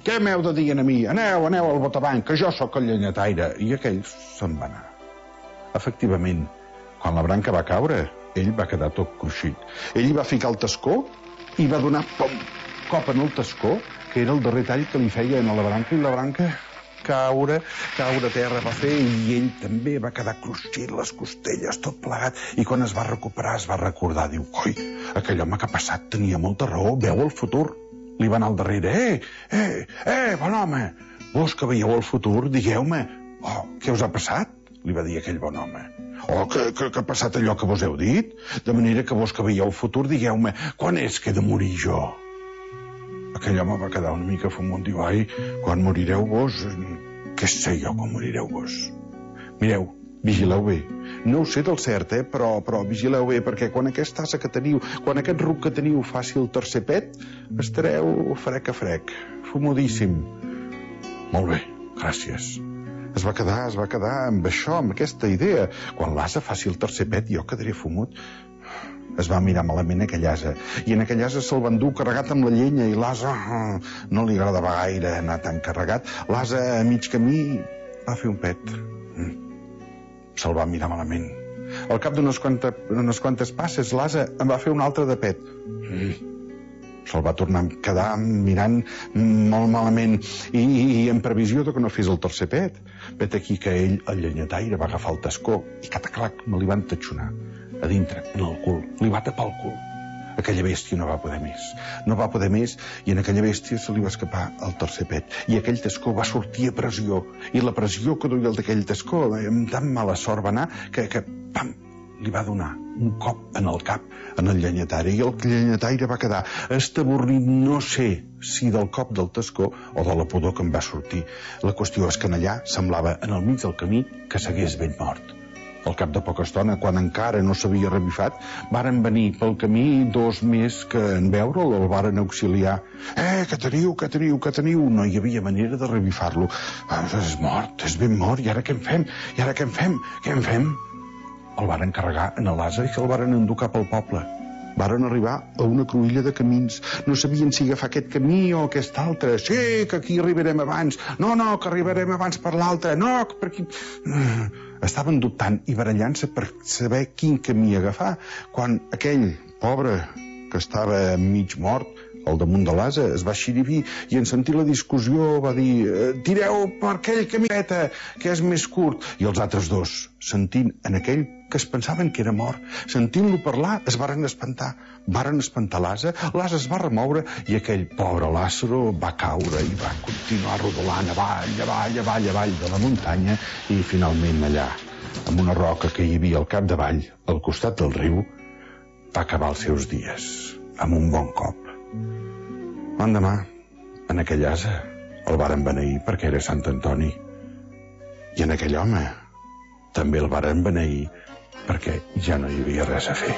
Què m'heu de dir a mi? Aneu al botavant, que jo sóc el llenyataire». I aquell se'n va anar. Efectivament, quan la branca va caure, ell va quedar tot cruixit. Ell hi va ficar el tascó i va donar cop en el tascó, que era el darrer tall que li feien a la branca, i la branca caure a terra va fer, i ell també va quedar cruixit, les costelles, tot plegat, i quan es va recuperar es va recordar, diu: «Coi, aquell home que ha passat tenia molta raó, veu el futur». Li va anar al darrere: bon home, vos que veieu el futur, digueu-me, què us ha passat?» Li va dir aquell bon home. Que ha passat allò que vos heu dit? De manera que vos que veieu el futur, digueu-me, quan és que he de morir jo? Aquell home va quedar una mica fumut, diu: «Ai, quan morireu vos, què sé jo quan morireu vos? Mireu, vigileu bé. No ho sé del cert, però vigileu bé, perquè quan aquesta asa que teniu, quan aquest ruc que teniu faci el tercer pet, estareu frec a frec, fumudíssim». «Molt bé, gràcies». Es va quedar amb això, amb aquesta idea. Quan l'ase faci el tercer pet, jo quedaré fumut. Es va mirar malament aquell ase, i en aquell ase se'l van dur carregat amb la llenya, i l'ase no li agradava gaire anar tan carregat. L'ase a mig camí va fer un pet. Se'l va mirar malament. Al cap d'unes quantes passes, l'ase en va fer un altre de pet. Se'l va tornar a quedar mirant molt malament, i en previsió que no fes el tercer pet. Vet aquí que ell, el llenyataire, va agafar el tascó i cataclac, me li van tatxonar a dintre, en el cul. Li va tapar el cul. Aquella bèstia no va poder més, i en aquella bèstia se li va escapar el tercer pet, i aquell tascó va sortir a pressió, i la pressió que duia el d'aquell tascó amb tan mala sort va anar que pam, li va donar un cop en el cap en el llenyataire, i el llenyataire va quedar estabornit, no sé si del cop del tascó o de la pudor que em va sortir. La qüestió és que en allà semblava, en el mig del camí, que s'hagués ben mort. Al cap de poca estona, quan encara no s'havia revifat, varen venir pel camí 2 més que en veure'l el varen auxiliar. Que teniu? No hi havia manera de revifar-lo. És mort, és ben mort, i ara què en fem? El varen carregar en l'ase i se'l varen endur cap al poble. Varen arribar a una cruïlla de camins. No sabien si agafar aquest camí o aquest altre. Sí, que aquí arribarem abans. No, que arribarem abans per l'altre. No, per aquí... Estaven dubtant i barallant-se per saber quin camí agafar, quan aquell pobre que estava mig mort al damunt de l'ase es va xirivir, i en sentir la discussió va dir: «Tireu per aquell camí que és més curt». I els altres dos, sentint en aquell que es pensaven que era mort, sentint-lo parlar, es varen espantar. Varen espantar l'ase es va remoure, i aquell pobre Lázaro va caure i va continuar rodolant avall de la muntanya, i finalment allà, amb una roca que hi havia al capdavall, al costat del riu, va acabar els seus dies, amb un bon cop. L'endemà, en aquell ase, el varen beneir perquè era Sant Antoni, i en aquell home també el varen beneir perquè ja no hi havia res a fer.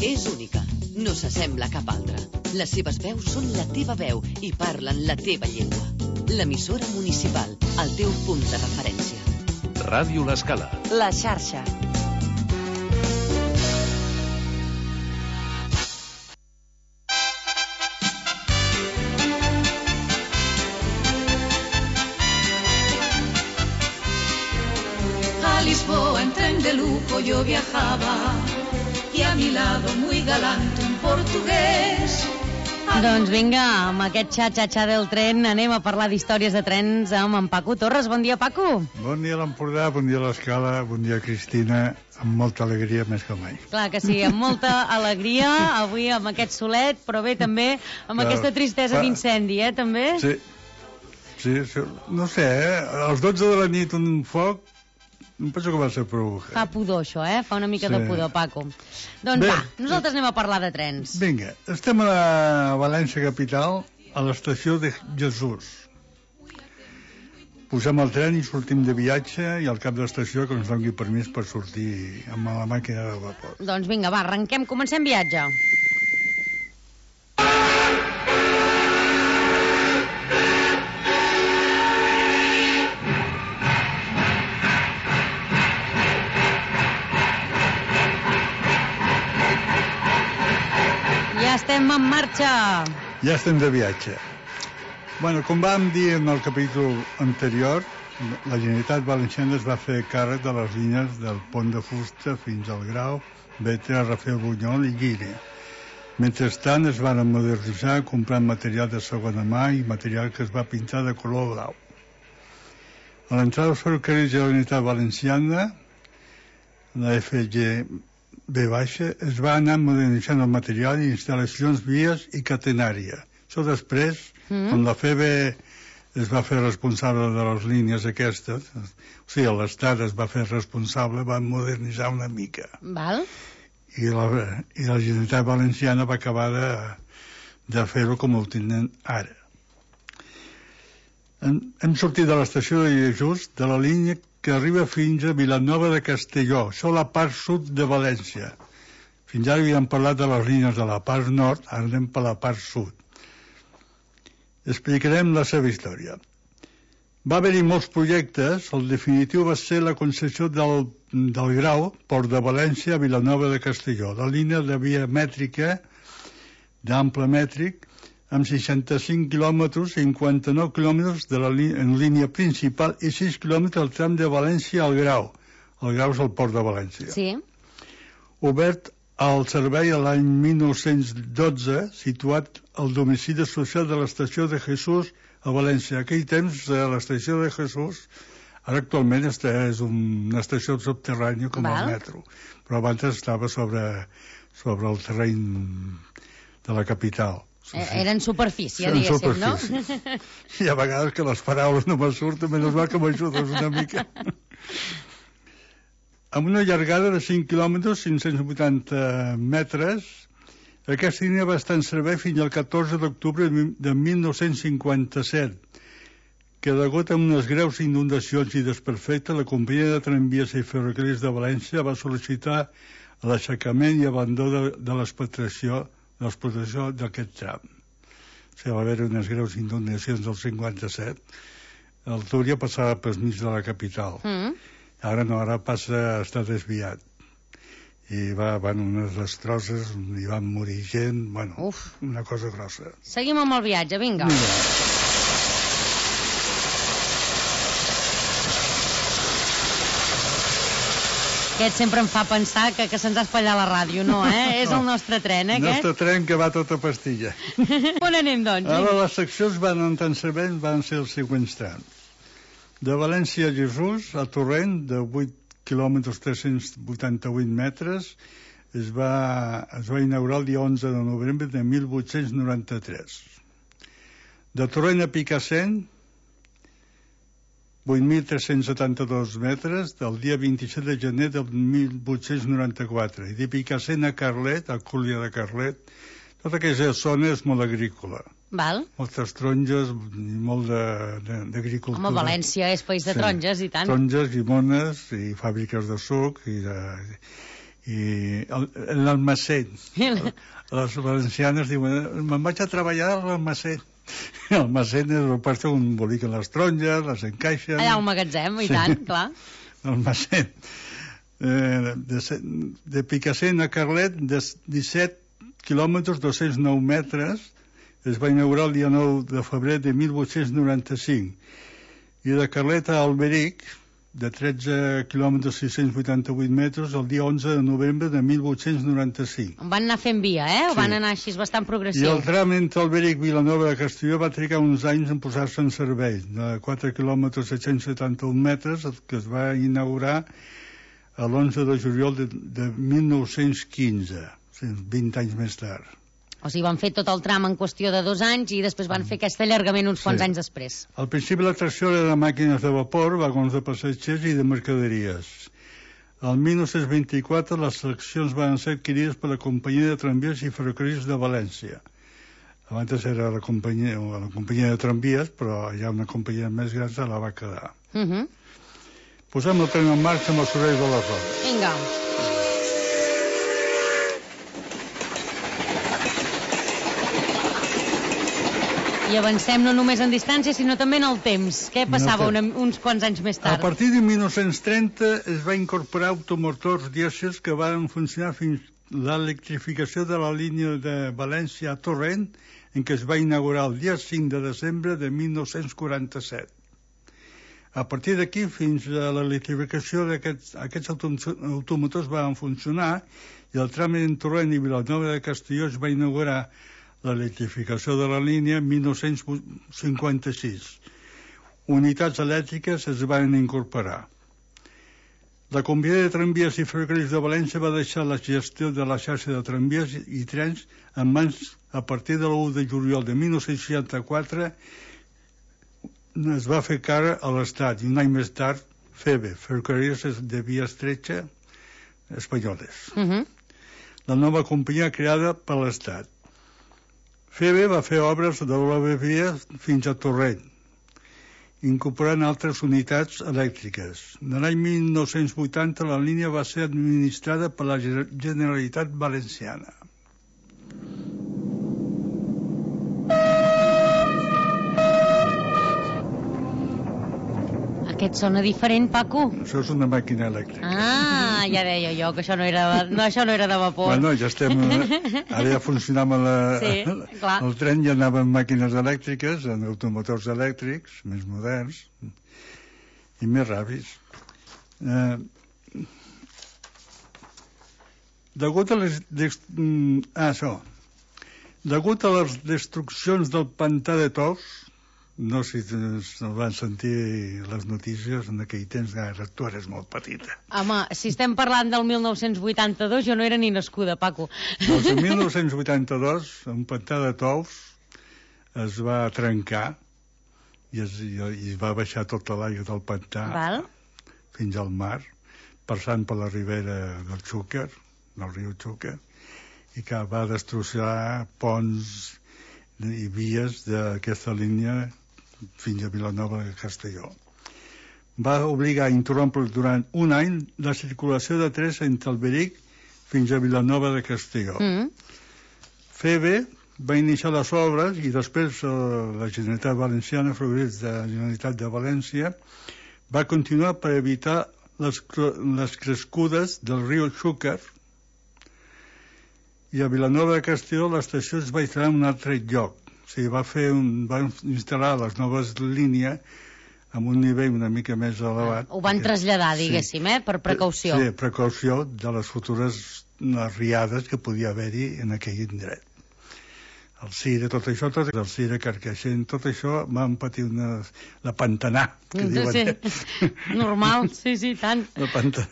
És única, no s'assembla a cap altra. Les seves veus són la teva veu i parlen la teva llengua. L'emissora municipal, el teu punt de referència. Ràdio L'Escala. La xarxa. A Lisboa en tren de lujo yo viajaba, y a mi lado muy galante un portugués. Doncs vinga, amb aquest xa-xa-xa del tren anem a parlar d'històries de trens amb en Paco Torres. Bon dia, Paco. Bon dia a l'Empordà, bon dia a l'Escala, bon dia Cristina, amb molta alegria més que mai. Clar que sí, amb molta alegria, avui amb aquest solet, però bé també amb aquesta tristesa d'incendi, també? Sí, no sé, als 12 de la nit un foc, em penso que va ser prou. Fa pudor, això, fa una mica de pudor, Paco. Doncs va, nosaltres anem a parlar de trens. Vinga, estem a la València capital, a l'estació de Jesús. Posem el tren i sortim de viatge i al cap de l'estació que ens doni permís per sortir amb la màquina de vapor. Doncs vinga, va, arrenquem, comencem viatge. Ja estem en marxa. Ja estem de viatge. Bueno, com vam dir en el capítol anterior, la Generalitat Valenciana es va fer càrrec de les línies del Pont de Fusta fins al Grau, Bétera, Rafael Bunyol i Llíria. Mentrestant es van modernitzar comprant material de segona mà i material que es va pintar de color blau. A l'entrada dels ferrocarrils de la Generalitat Valenciana, la FGB es va anar modernitzant el material i instal·lacions, vies i catenària. Això després, quan la FEB es va fer responsable de les línies aquestes, o sigui, l'Estat es va fer responsable, va modernitzar una mica. Val. I la Generalitat Valenciana va acabar de fer-ho com ho tenen ara. Hem sortit de l'estació de Jesús, de la línia que arriba fins a Vilanova de Castelló, això a la part sud de València. Fins ara havíem parlat de les línies de la part nord, ara anem per la part sud. Explicarem la seva història. Va haver-hi molts projectes, el definitiu va ser la concessió del Grau, Port de València, a Vilanova de Castelló, la línia de via mètrica, d'ample mètric, amb 65 quilòmetres, 59 quilòmetres en línia principal i 6 quilòmetres al tram de València al Grau. El Grau és el Port de València. Sí. Obert al servei l'any 1912, situat al domicili social de l'estació de Jesús a València. En aquell temps, l'estació de Jesús, ara actualment és una estació subterrània com el metro, però abans estava sobre el terreny de la capital. Era en superfície, diguéssim, no? I a vegades que les paraules no me surten, menys mal que m'ajudes una mica. Amb una llargada de 5 quilòmetres, 580 metres, aquesta línia va estar en servei fins al 14 d'octubre de 1957, que degut a unes greus inundacions i desperfectes, la companyia de tramvies i ferrocarrils de València va sol·licitar l'aixecament i abandó de l'explotació d'aquest tram. O sigui, va haver unes greus inundacions del 57. El Túria passava pel mig de la capital. Ara no, ara està desviat. I van unes destrosses, hi van morir gent, bueno, una cosa grossa. Seguim amb el viatge, vinga. Aquest sempre em fa pensar que se'ns ha espatllat la ràdio, no, És el nostre tren, El nostre tren que va tota pastilla. On anem, doncs? Ara les seccions van entrar en servei, van ser els següents trams. De València a Jesús, a Torrent, de 8 quilòmetres 388 metres, es va inaugurar el dia 11 de novembre de 1893. De Torrent a Picassent, 8.372 metres, del dia 27 de gener del 1894. I de Picassent a Carlet, a Cúlia de Carlet, tota aquesta zona és molt agrícola. Val. Moltes taronges i molt d'agricultura. Home, València és país de taronges, i tant. Taronges, llimones i fàbriques de suc i l'almacén. Les valencianes diuen, me'n vaig a treballar a l'almacén. L'almacén és per un emboliquen les taronges, les encaixen... Allà al magatzem, i tant, clar. L'almacén. De Picassent a Carlet, de 17 quilòmetres 209 metres, es va inaugurar el dia 9 de febrer de 1895. I de Carlet a Alberic, de 13 quilòmetres 688 metres el dia 11 de novembre de 1895. Van anar fent via, Sí. Van anar així bastant I progressiu. el tram entre Alberic i Vilanova de Castelló va trigar uns anys en posar-se en servei, de 4 quilòmetres 771 metres, que es va inaugurar l'11 de juliol de 1915, 20 anys més tard. O sigui, van fer tot el tram en qüestió de 2 anys i després van fer aquest allargament uns quants anys després. Al principi l'atracció era de màquines de vapor, vagons de passatgers i de mercaderies. El 1924 les seccions van ser adquirides per la companyia de tramvies i ferrocarrils de València. Abans era la companyia de tramvies, però hi ha una companyia més gran que la va quedar. Posem el tren en marxa amb els sorolls de les rodes. Vinga. I avancem no només en distància, sinó també en el temps. Què passava uns quants anys més tard? A partir de 1930 es va incorporar automotors dièsels que van funcionar fins l'electrificació de la línia de València a Torrent, en què es va inaugurar el dia 5 de desembre de 1947. A partir d'aquí, fins a l'electrificació d'aquests automotors van funcionar i el tram en Torrent i Vilanova de Castelló es va inaugurar l'electrificació de la línia en 1956. Unitats elèctriques es van incorporar. La companyia de tramvies i ferrocarrils de València va deixar la gestió de la xarxa de tramvies i trens en mans a partir de l'1 de juliol de 1964. Es va fer cara a l'Estat i un any més tard FEBE, Ferrocarrils de Via Estretxa Espanyoles. La nova companyia creada per l'Estat. FEBE va fer obres de doble via fins a Torrent, incorporant altres unitats elèctriques. En l'any 1980 la línia va ser administrada per la Generalitat Valenciana. Aquest sona diferent, Paco? Això és una màquina elèctrica. Ah, ja deia jo que això no era de vapor. Bueno, ja estem... Ara ja funcionava el tren, ja anava amb màquines elèctriques, amb automotors elèctrics, més moderns i més ràpids. Degut a les destruccions del pantà de Tous, no sé si van sentir les notícies en aquell temps, tu eres molt petita. Home, si estem parlant del 1982, jo no era ni nascuda, Paco. Doncs en 1982, un pantà de Tous es va trencar i va baixar tota l'aigua del pantà fins al mar, passant per la ribera del Xúquer, del riu Xúquer, i que va destrossar ponts i vies d'aquesta línia fins a Vilanova de Castelló. Va obligar a interrompre durant un any la circulació de trens entre Alberic fins a Vilanova de Castelló. FEBE va iniciar les obres i després la Generalitat Valenciana, Ferrocarrils de la Generalitat de València, va continuar per evitar les crescudes del riu Xúquer, i a Vilanova de Castelló l'estació es va instal·lar en un altre lloc. O sigui, van instal·lar les noves línies amb un nivell una mica més elevat. Ho van traslladar, diguéssim, per precaució. Sí, precaució de les futures riades que podia haver-hi en aquell indret. El Cire, tot això, el Cire, Carcaixent, tot això van patir la pantanà, que diuen. Normal, sí, tant. La pantanà.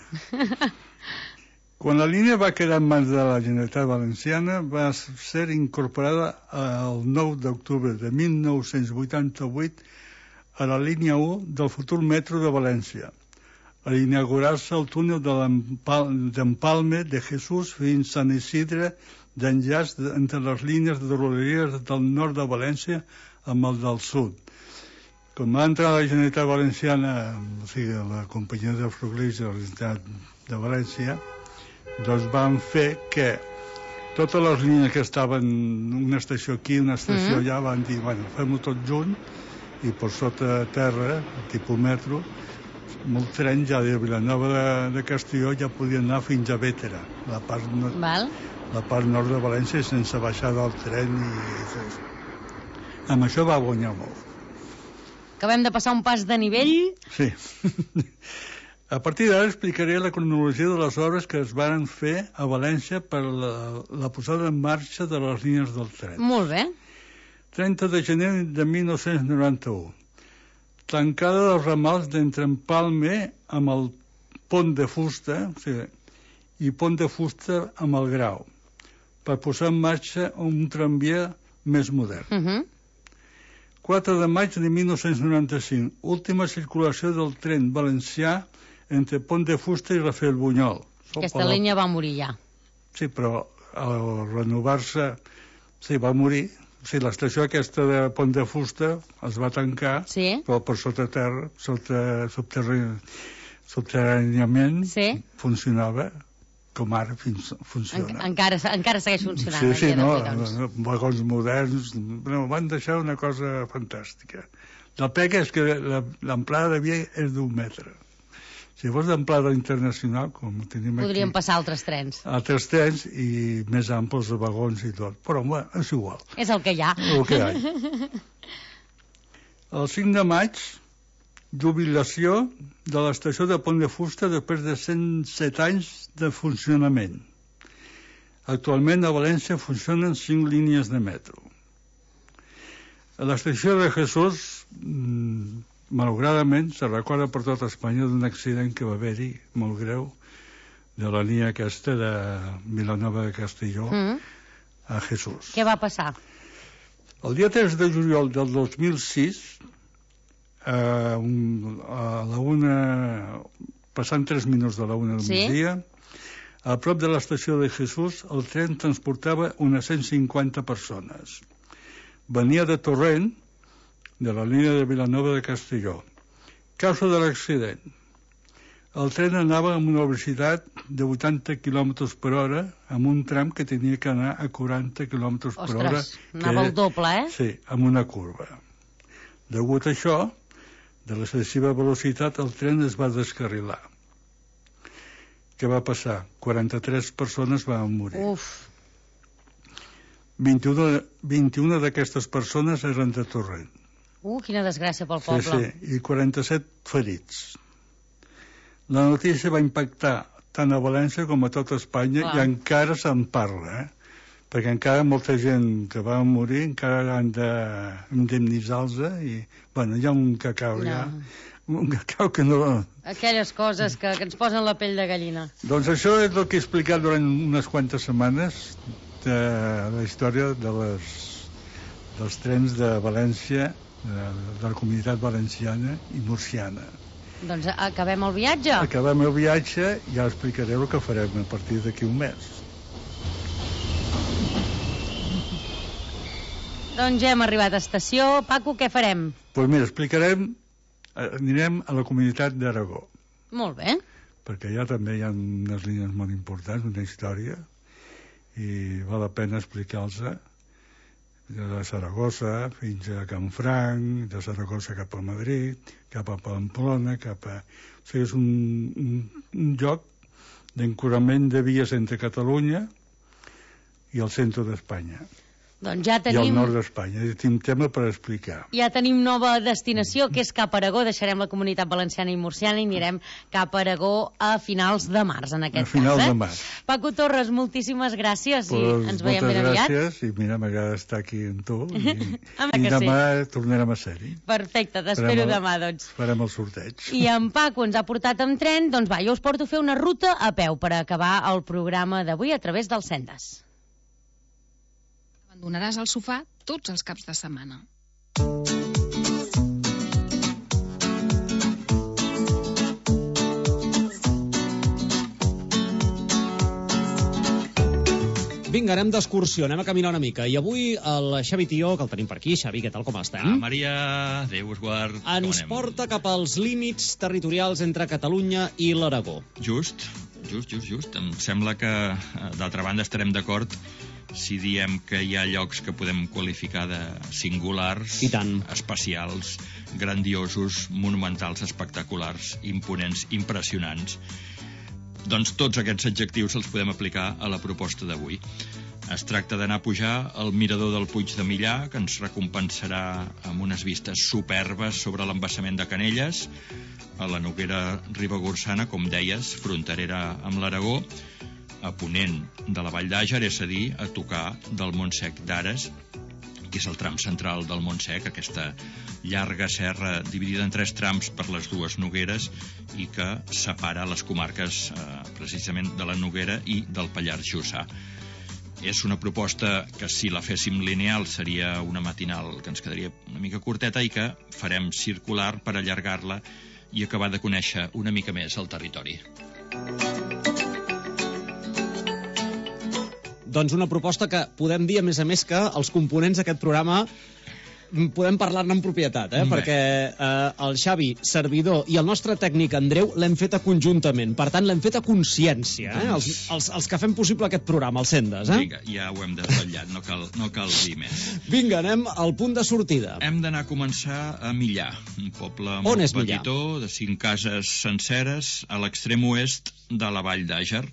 Quan la línia va quedar en mans de la Generalitat Valenciana, va ser incorporada el 9 d'octubre de 1988 a la línia 1 del futur metro de València, a inaugurar-se el túnel d'Empalme de Jesús fins a Sant Isidre, d'enllaç entre les línies de rodalies del nord de València amb el del sud. Quan va entrar la Generalitat Valenciana, o sigui, la companyia de ferrocarrils de la Generalitat de València, doncs van fer que totes les línies que estaven una estació aquí, una estació allà, van dir, bueno, fem-ho tot junt, i per sota terra, tipus metro, molt tren ja de Vilanova de Castelló ja podien anar fins a Bétera, la part nord de València, sense baixar del tren. Amb això va guanyar molt. acabem de passar un pas de nivell. Sí. A partir d'ara explicaré la cronologia de les obres que es varen fer a València per la posada en marxa de les línies del tren. Molt bé. 30 de gener de 1991. Tancada dels ramals d'Entrempalme amb el pont de fusta, o sigui, i pont de fusta amb el Grau, per posar en marxa un tramvia més modern. 4 de maig de 1995. Última circulació del tren valencià entre Pont de Fusta i Rafael Bunyol. Aquesta línia va morir ja. Sí, però al renovar-se, sí, va morir. Sí, l'estació aquesta de Pont de Fusta es va tancar, però per sota terra, subterràniament, funcionava com ara funciona. Encara segueix funcionant. Sí, vagons moderns, van deixar una cosa fantàstica. La pega és que l'amplada de via és d'1 metre. Si fos d'amplada internacional, com tenim aquí... Podríem passar altres trens. Altres trens i més amples de vagons i tot. Però, bueno, és igual. És el que hi ha. El que hi ha. El 5 de maig, jubilació de l'estació de Pont de Fusta després de 107 anys de funcionament. Actualment a València funcionen 5 línies de metro. A l'estació de Jesús, malauradament, se recorda per tot Espanya d'un accident que va haver-hi, molt greu, de la línia aquesta de Vilanova de Castelló a Jesús. Què va passar? El dia 3 de juliol del 2006, a la 1, passant 3 minuts de la 1 del migdia, a prop de l'estació de Jesús, el tren transportava unes 150 persones. Venia de Torrent, de la línia de Vilanova de Castelló. Causa de l'accident. El tren anava amb una velocitat de 80 km per hora amb un tram que tenia que anar a 40 km per hora. Ostres, anava el doble, Sí, amb una curva. Degut a això, de l'excessiva velocitat, el tren es va descarrilar. Què va passar? 43 persones van morir. 21 d'aquestes persones eren de Torrent. Quina desgràcia pel poble. Sí, i 47 ferits. La notícia va impactar tant a València com a tota Espanya i encara se'n parla, perquè encara molta gent que va morir encara han d'indemnitzar-los i, bueno, hi ha un cacau ja. Un cacau que no... Aquelles coses que ens posen la pell de gallina. Doncs això és el que he explicat durant unes quantes setmanes de la història dels trens de València, de la comunitat valenciana i murciana. Doncs acabem el viatge? Acabem el viatge i ja explicaré el que farem a partir d'aquí un mes. Doncs ja hem arribat a estació. Paco, què farem? Doncs mira, anirem a la comunitat d'Aragó. Molt bé. Perquè allà també hi ha unes línies molt importants, una història, i val la pena explicar-los de Saragossa fins a Canfranc, de Saragossa cap a Madrid, cap a Pamplona, O sigui, és un lloc d'encorament de vies entre Catalunya i el centre d'Espanya. Doncs ja tenim... I el nord d'Espanya. Tenim tema per explicar. Ja tenim nova destinació, que és cap a Aragó. Deixarem la comunitat valenciana i murciana i anirem cap a Aragó a finals de març, en aquest cas. A finals de març. Paco Torres, moltíssimes gràcies i ens veiem ben aviat. Moltes gràcies i mira, m'agrada estar aquí amb tu i demà tornarem a ser-hi. Perfecte, t'espero demà, doncs. Farem el sorteig. I en Paco ens ha portat amb tren, doncs va, jo us porto a fer una ruta a peu per acabar el programa d'avui a través del Sendes. Abandonaràs el sofà tots els caps de setmana. Vinga, anem d'excursió, anem a caminar una mica. I avui el Xavi Tió, que el tenim per aquí. Xavi, què tal, com està? Maria, Déu us guard. Ens porta cap als límits territorials entre Catalunya i l'Aragó. Just. Em sembla que, d'altra banda, estarem d'acord si diem que hi ha llocs que podem qualificar de singulars, especials, grandiosos, monumentals, espectaculars, imponents, impressionants. Doncs tots aquests adjectius els podem aplicar a la proposta d'avui. Es tracta d'anar a pujar al mirador del Puig de Millà, que ens recompensarà amb unes vistes superbes sobre l'embassament de Canelles, a la Noguera Ribagorçana, com deies, fronterera amb l'Aragó, a ponent de la Vall d'Àger, és a dir, a tocar del Montsec d'Ares, que és el tram central del Montsec, aquesta llarga serra dividida en 3 trams per les dues Nogueres i que separa les comarques precisament de la Noguera i del Pallars Jussà. És una proposta que, si la féssim lineal, seria una matinal que ens quedaria una mica curteta i que farem circular per allargar-la i acabar de conèixer una mica més el territori. Doncs una proposta que podem dir, a més, que els components d'aquest programa podem parlar-ne en propietat, perquè el Xavi, servidor, i el nostre tècnic Andreu l'hem feta conjuntament. Per tant, l'hem feta a consciència, els que fem possible aquest programa, els Sendes. Vinga, ja ho hem desvetllat, no cal dir més. Vinga, anem al punt de sortida. Hem d'anar a començar a Millà, un poble molt petitó, de 5 cases senceres, a l'extrem oest de la Vall d'Àger,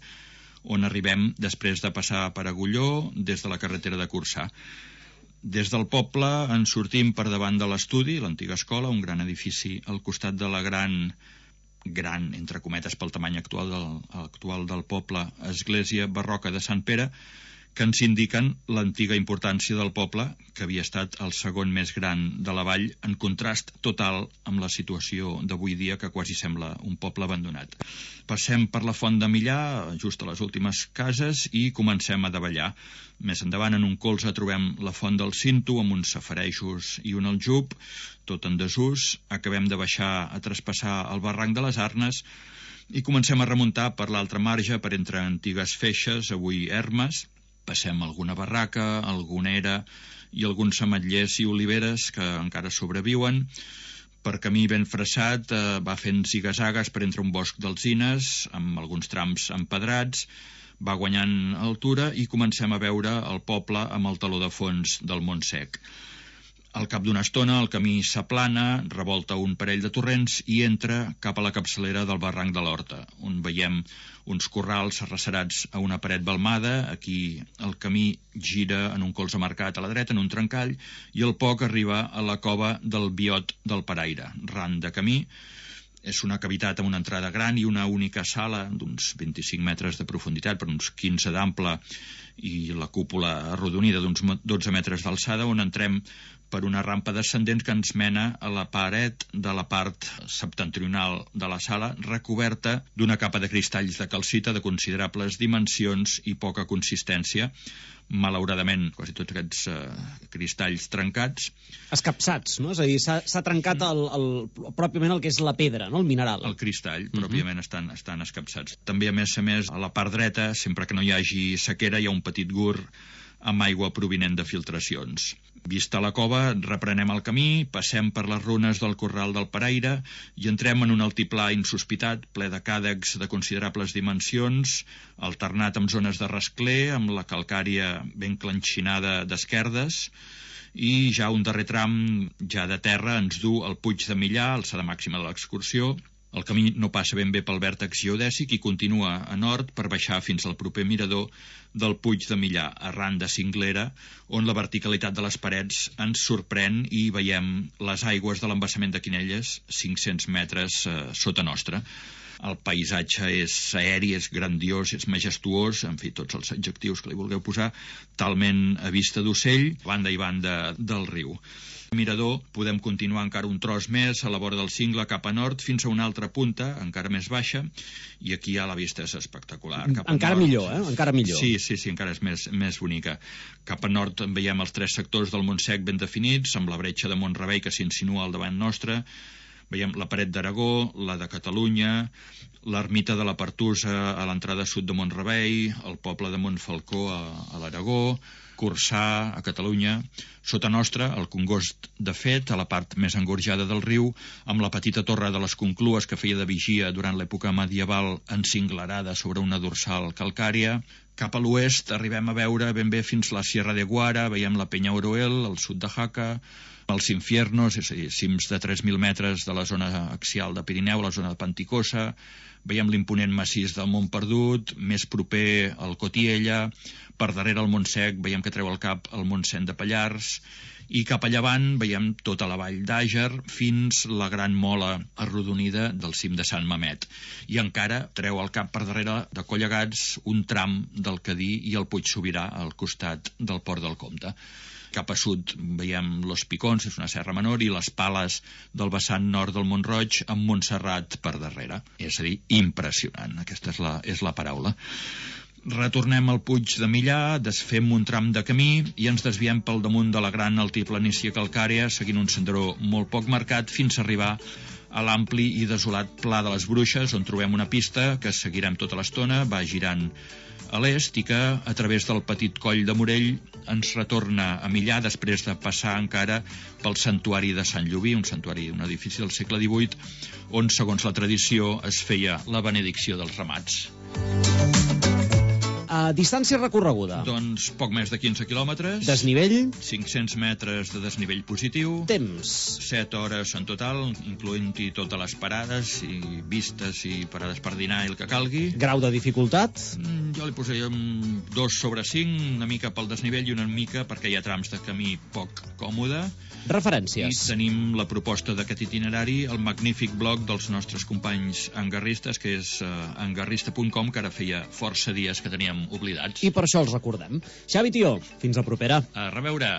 on arribem després de passar per Agulló des de la carretera de Corçà. Des del poble ens sortim per davant de l'estudi, l'antiga escola, un gran edifici al costat de la gran, entre cometes pel tamany actual del poble, església barroca de Sant Pere, que ens indiquen l'antiga importància del poble, que havia estat el segon més gran de la vall, en contrast total amb la situació d'avui dia, que quasi sembla un poble abandonat. Passem per la Font de Millà, just a les últimes cases, i comencem a davallar. Més endavant, en un colze, trobem la Font del Cinto, amb uns safarejos i un aljub, tot en desús. Acabem de baixar a traspassar el barranc de les Arnes i comencem a remuntar per l'altre marge, per entre antigues feixes, avui ermes. Passem alguna barraca, alguna era i alguns ametllers i oliveres que encara sobreviuen. Per camí ben fressat va fent zigazagues per entre un bosc d'alzines, amb alguns trams empedrats, va guanyant altura i comencem a veure el poble amb el teló de fons del Montsec. Al cap d'una estona el camí s'aplana, revolta un parell de torrents i entra cap a la capçalera del barranc de l'Horta, on veiem uns corrals arrecerats a una paret balmada. Aquí el camí gira en un colze marcat a la dreta, en un trencall, i al poc arriba a la cova del Biot del Paraire, ran de camí. És una cavitat amb una entrada gran i una única sala d'uns 25 metres de profunditat per uns 15 d'ample i la cúpula arrodonida d'uns 12 metres d'alçada, on entrem per una rampa descendent que ens mena a la paret de la part septentrional de la sala, recoberta d'una capa de cristalls de calcita de considerables dimensions i poca consistència. Malauradament, quasi tots aquests cristalls trencats. Escapçats, no? És a dir, s'ha trencat pròpiament el que és la pedra, no? El mineral. El cristall, pròpiament, estan escapçats. També, a més, a la part dreta, sempre que no hi hagi sequera, hi ha un petit gur amb aigua provinent de filtracions. Vista la cova, reprenem el camí, passem per les runes del Corral del Paraire i entrem en un altiplà insospitat, ple de càdecs de considerables dimensions, alternat amb zones de rascler, amb la calcària ben clanxinada d'esquerdes, i ja un darrer tram, ja de terra, ens du al Puig de Millà, alçada màxima de l'excursió. El camí no passa ben bé pel vèrtex geodèsic i continua a nord per baixar fins al proper mirador del Puig de Millà, arran de cinglera, on la verticalitat de les parets ens sorprèn i veiem les aigües de l'embassament de Quinelles, 500 metres sota nostra. El paisatge és aeri, és grandiós, és majestuós, en fi, tots els adjectius que li vulgueu posar, talment a vista d'ocell, banda i banda del riu. Mirador, podem continuar encara un tros més a la vora del cingle cap a nord fins a una altra punta, encara més baixa, i aquí ja la vista és espectacular. Encara millor, encara millor. Sí, encara és més bonica. Cap a nord veiem els 3 sectors del Montsec ben definits, amb la bretxa de Mont-rebei que s'insinua al davant nostre. Veiem la paret d'Aragó, la de Catalunya, l'ermita de la Pertusa a l'entrada sud de Mont-rebei, el poble de Montfalcó a l'Aragó, Corçà, a Catalunya. Sota nostra, el Congost de Fet, a la part més engorjada del riu, amb la petita torre de les Conclues que feia de vigia durant l'època medieval encinglerada sobre una dorsal calcària. Cap a l'oest arribem a veure ben bé fins la Sierra de Guara, veiem la Peña Oroel, al sud de Jaca, els Infiernos, és a dir, cims de 3.000 metres de la zona axial de Pirineu, la zona de Panticosa, veiem l'imponent massís del Mont Perdut, més proper al Cotiella, per darrere el Montsec veiem que treu el cap el Montsent de Pallars, i cap a llevant veiem tota la vall d'Àger fins la gran mola arrodonida del cim de Sant Mamet. I encara treu el cap per darrere de Collegats un tram del Cadí i el Puig Sobirà al costat del Port del Comte. Cap a sud veiem Los Picons, és una serra menor, i les Pales del vessant nord del Mont-roig amb Montserrat per darrere. És a dir, impressionant, aquesta és la paraula. Retornem al Puig de Millà, desfem un tram de camí i ens desviem pel damunt de la gran altiplanícia calcària, seguint un senderó molt poc marcat fins a arribar a l'ampli i desolat Pla de les Bruixes, on trobem una pista que seguirem tota l'estona, va girant a l'est i que, a través del petit coll de Morell, ens retorna a Millà després de passar encara pel santuari de Sant Llobí, un edifici del segle XVIII, on, segons la tradició, es feia la benedicció dels ramats. Distància recorreguda. Doncs poc més de 15 quilòmetres. Desnivell? 500 metres de desnivell positiu. Temps? 7 hores en total, incloent-hi totes les parades i vistes i parades per dinar i el que calgui. Grau de dificultat? Jo li posaria 2 sobre 5, una mica pel desnivell i una mica perquè hi ha trams de camí poc còmode. Referències? I tenim la proposta d'aquest itinerari, el magnífic blog dels nostres companys angarristes, que és angarrista.com, que ara feia força dies que teníem oblidats. I per això els recordem. Xavi Tió, fins la propera. A reveure.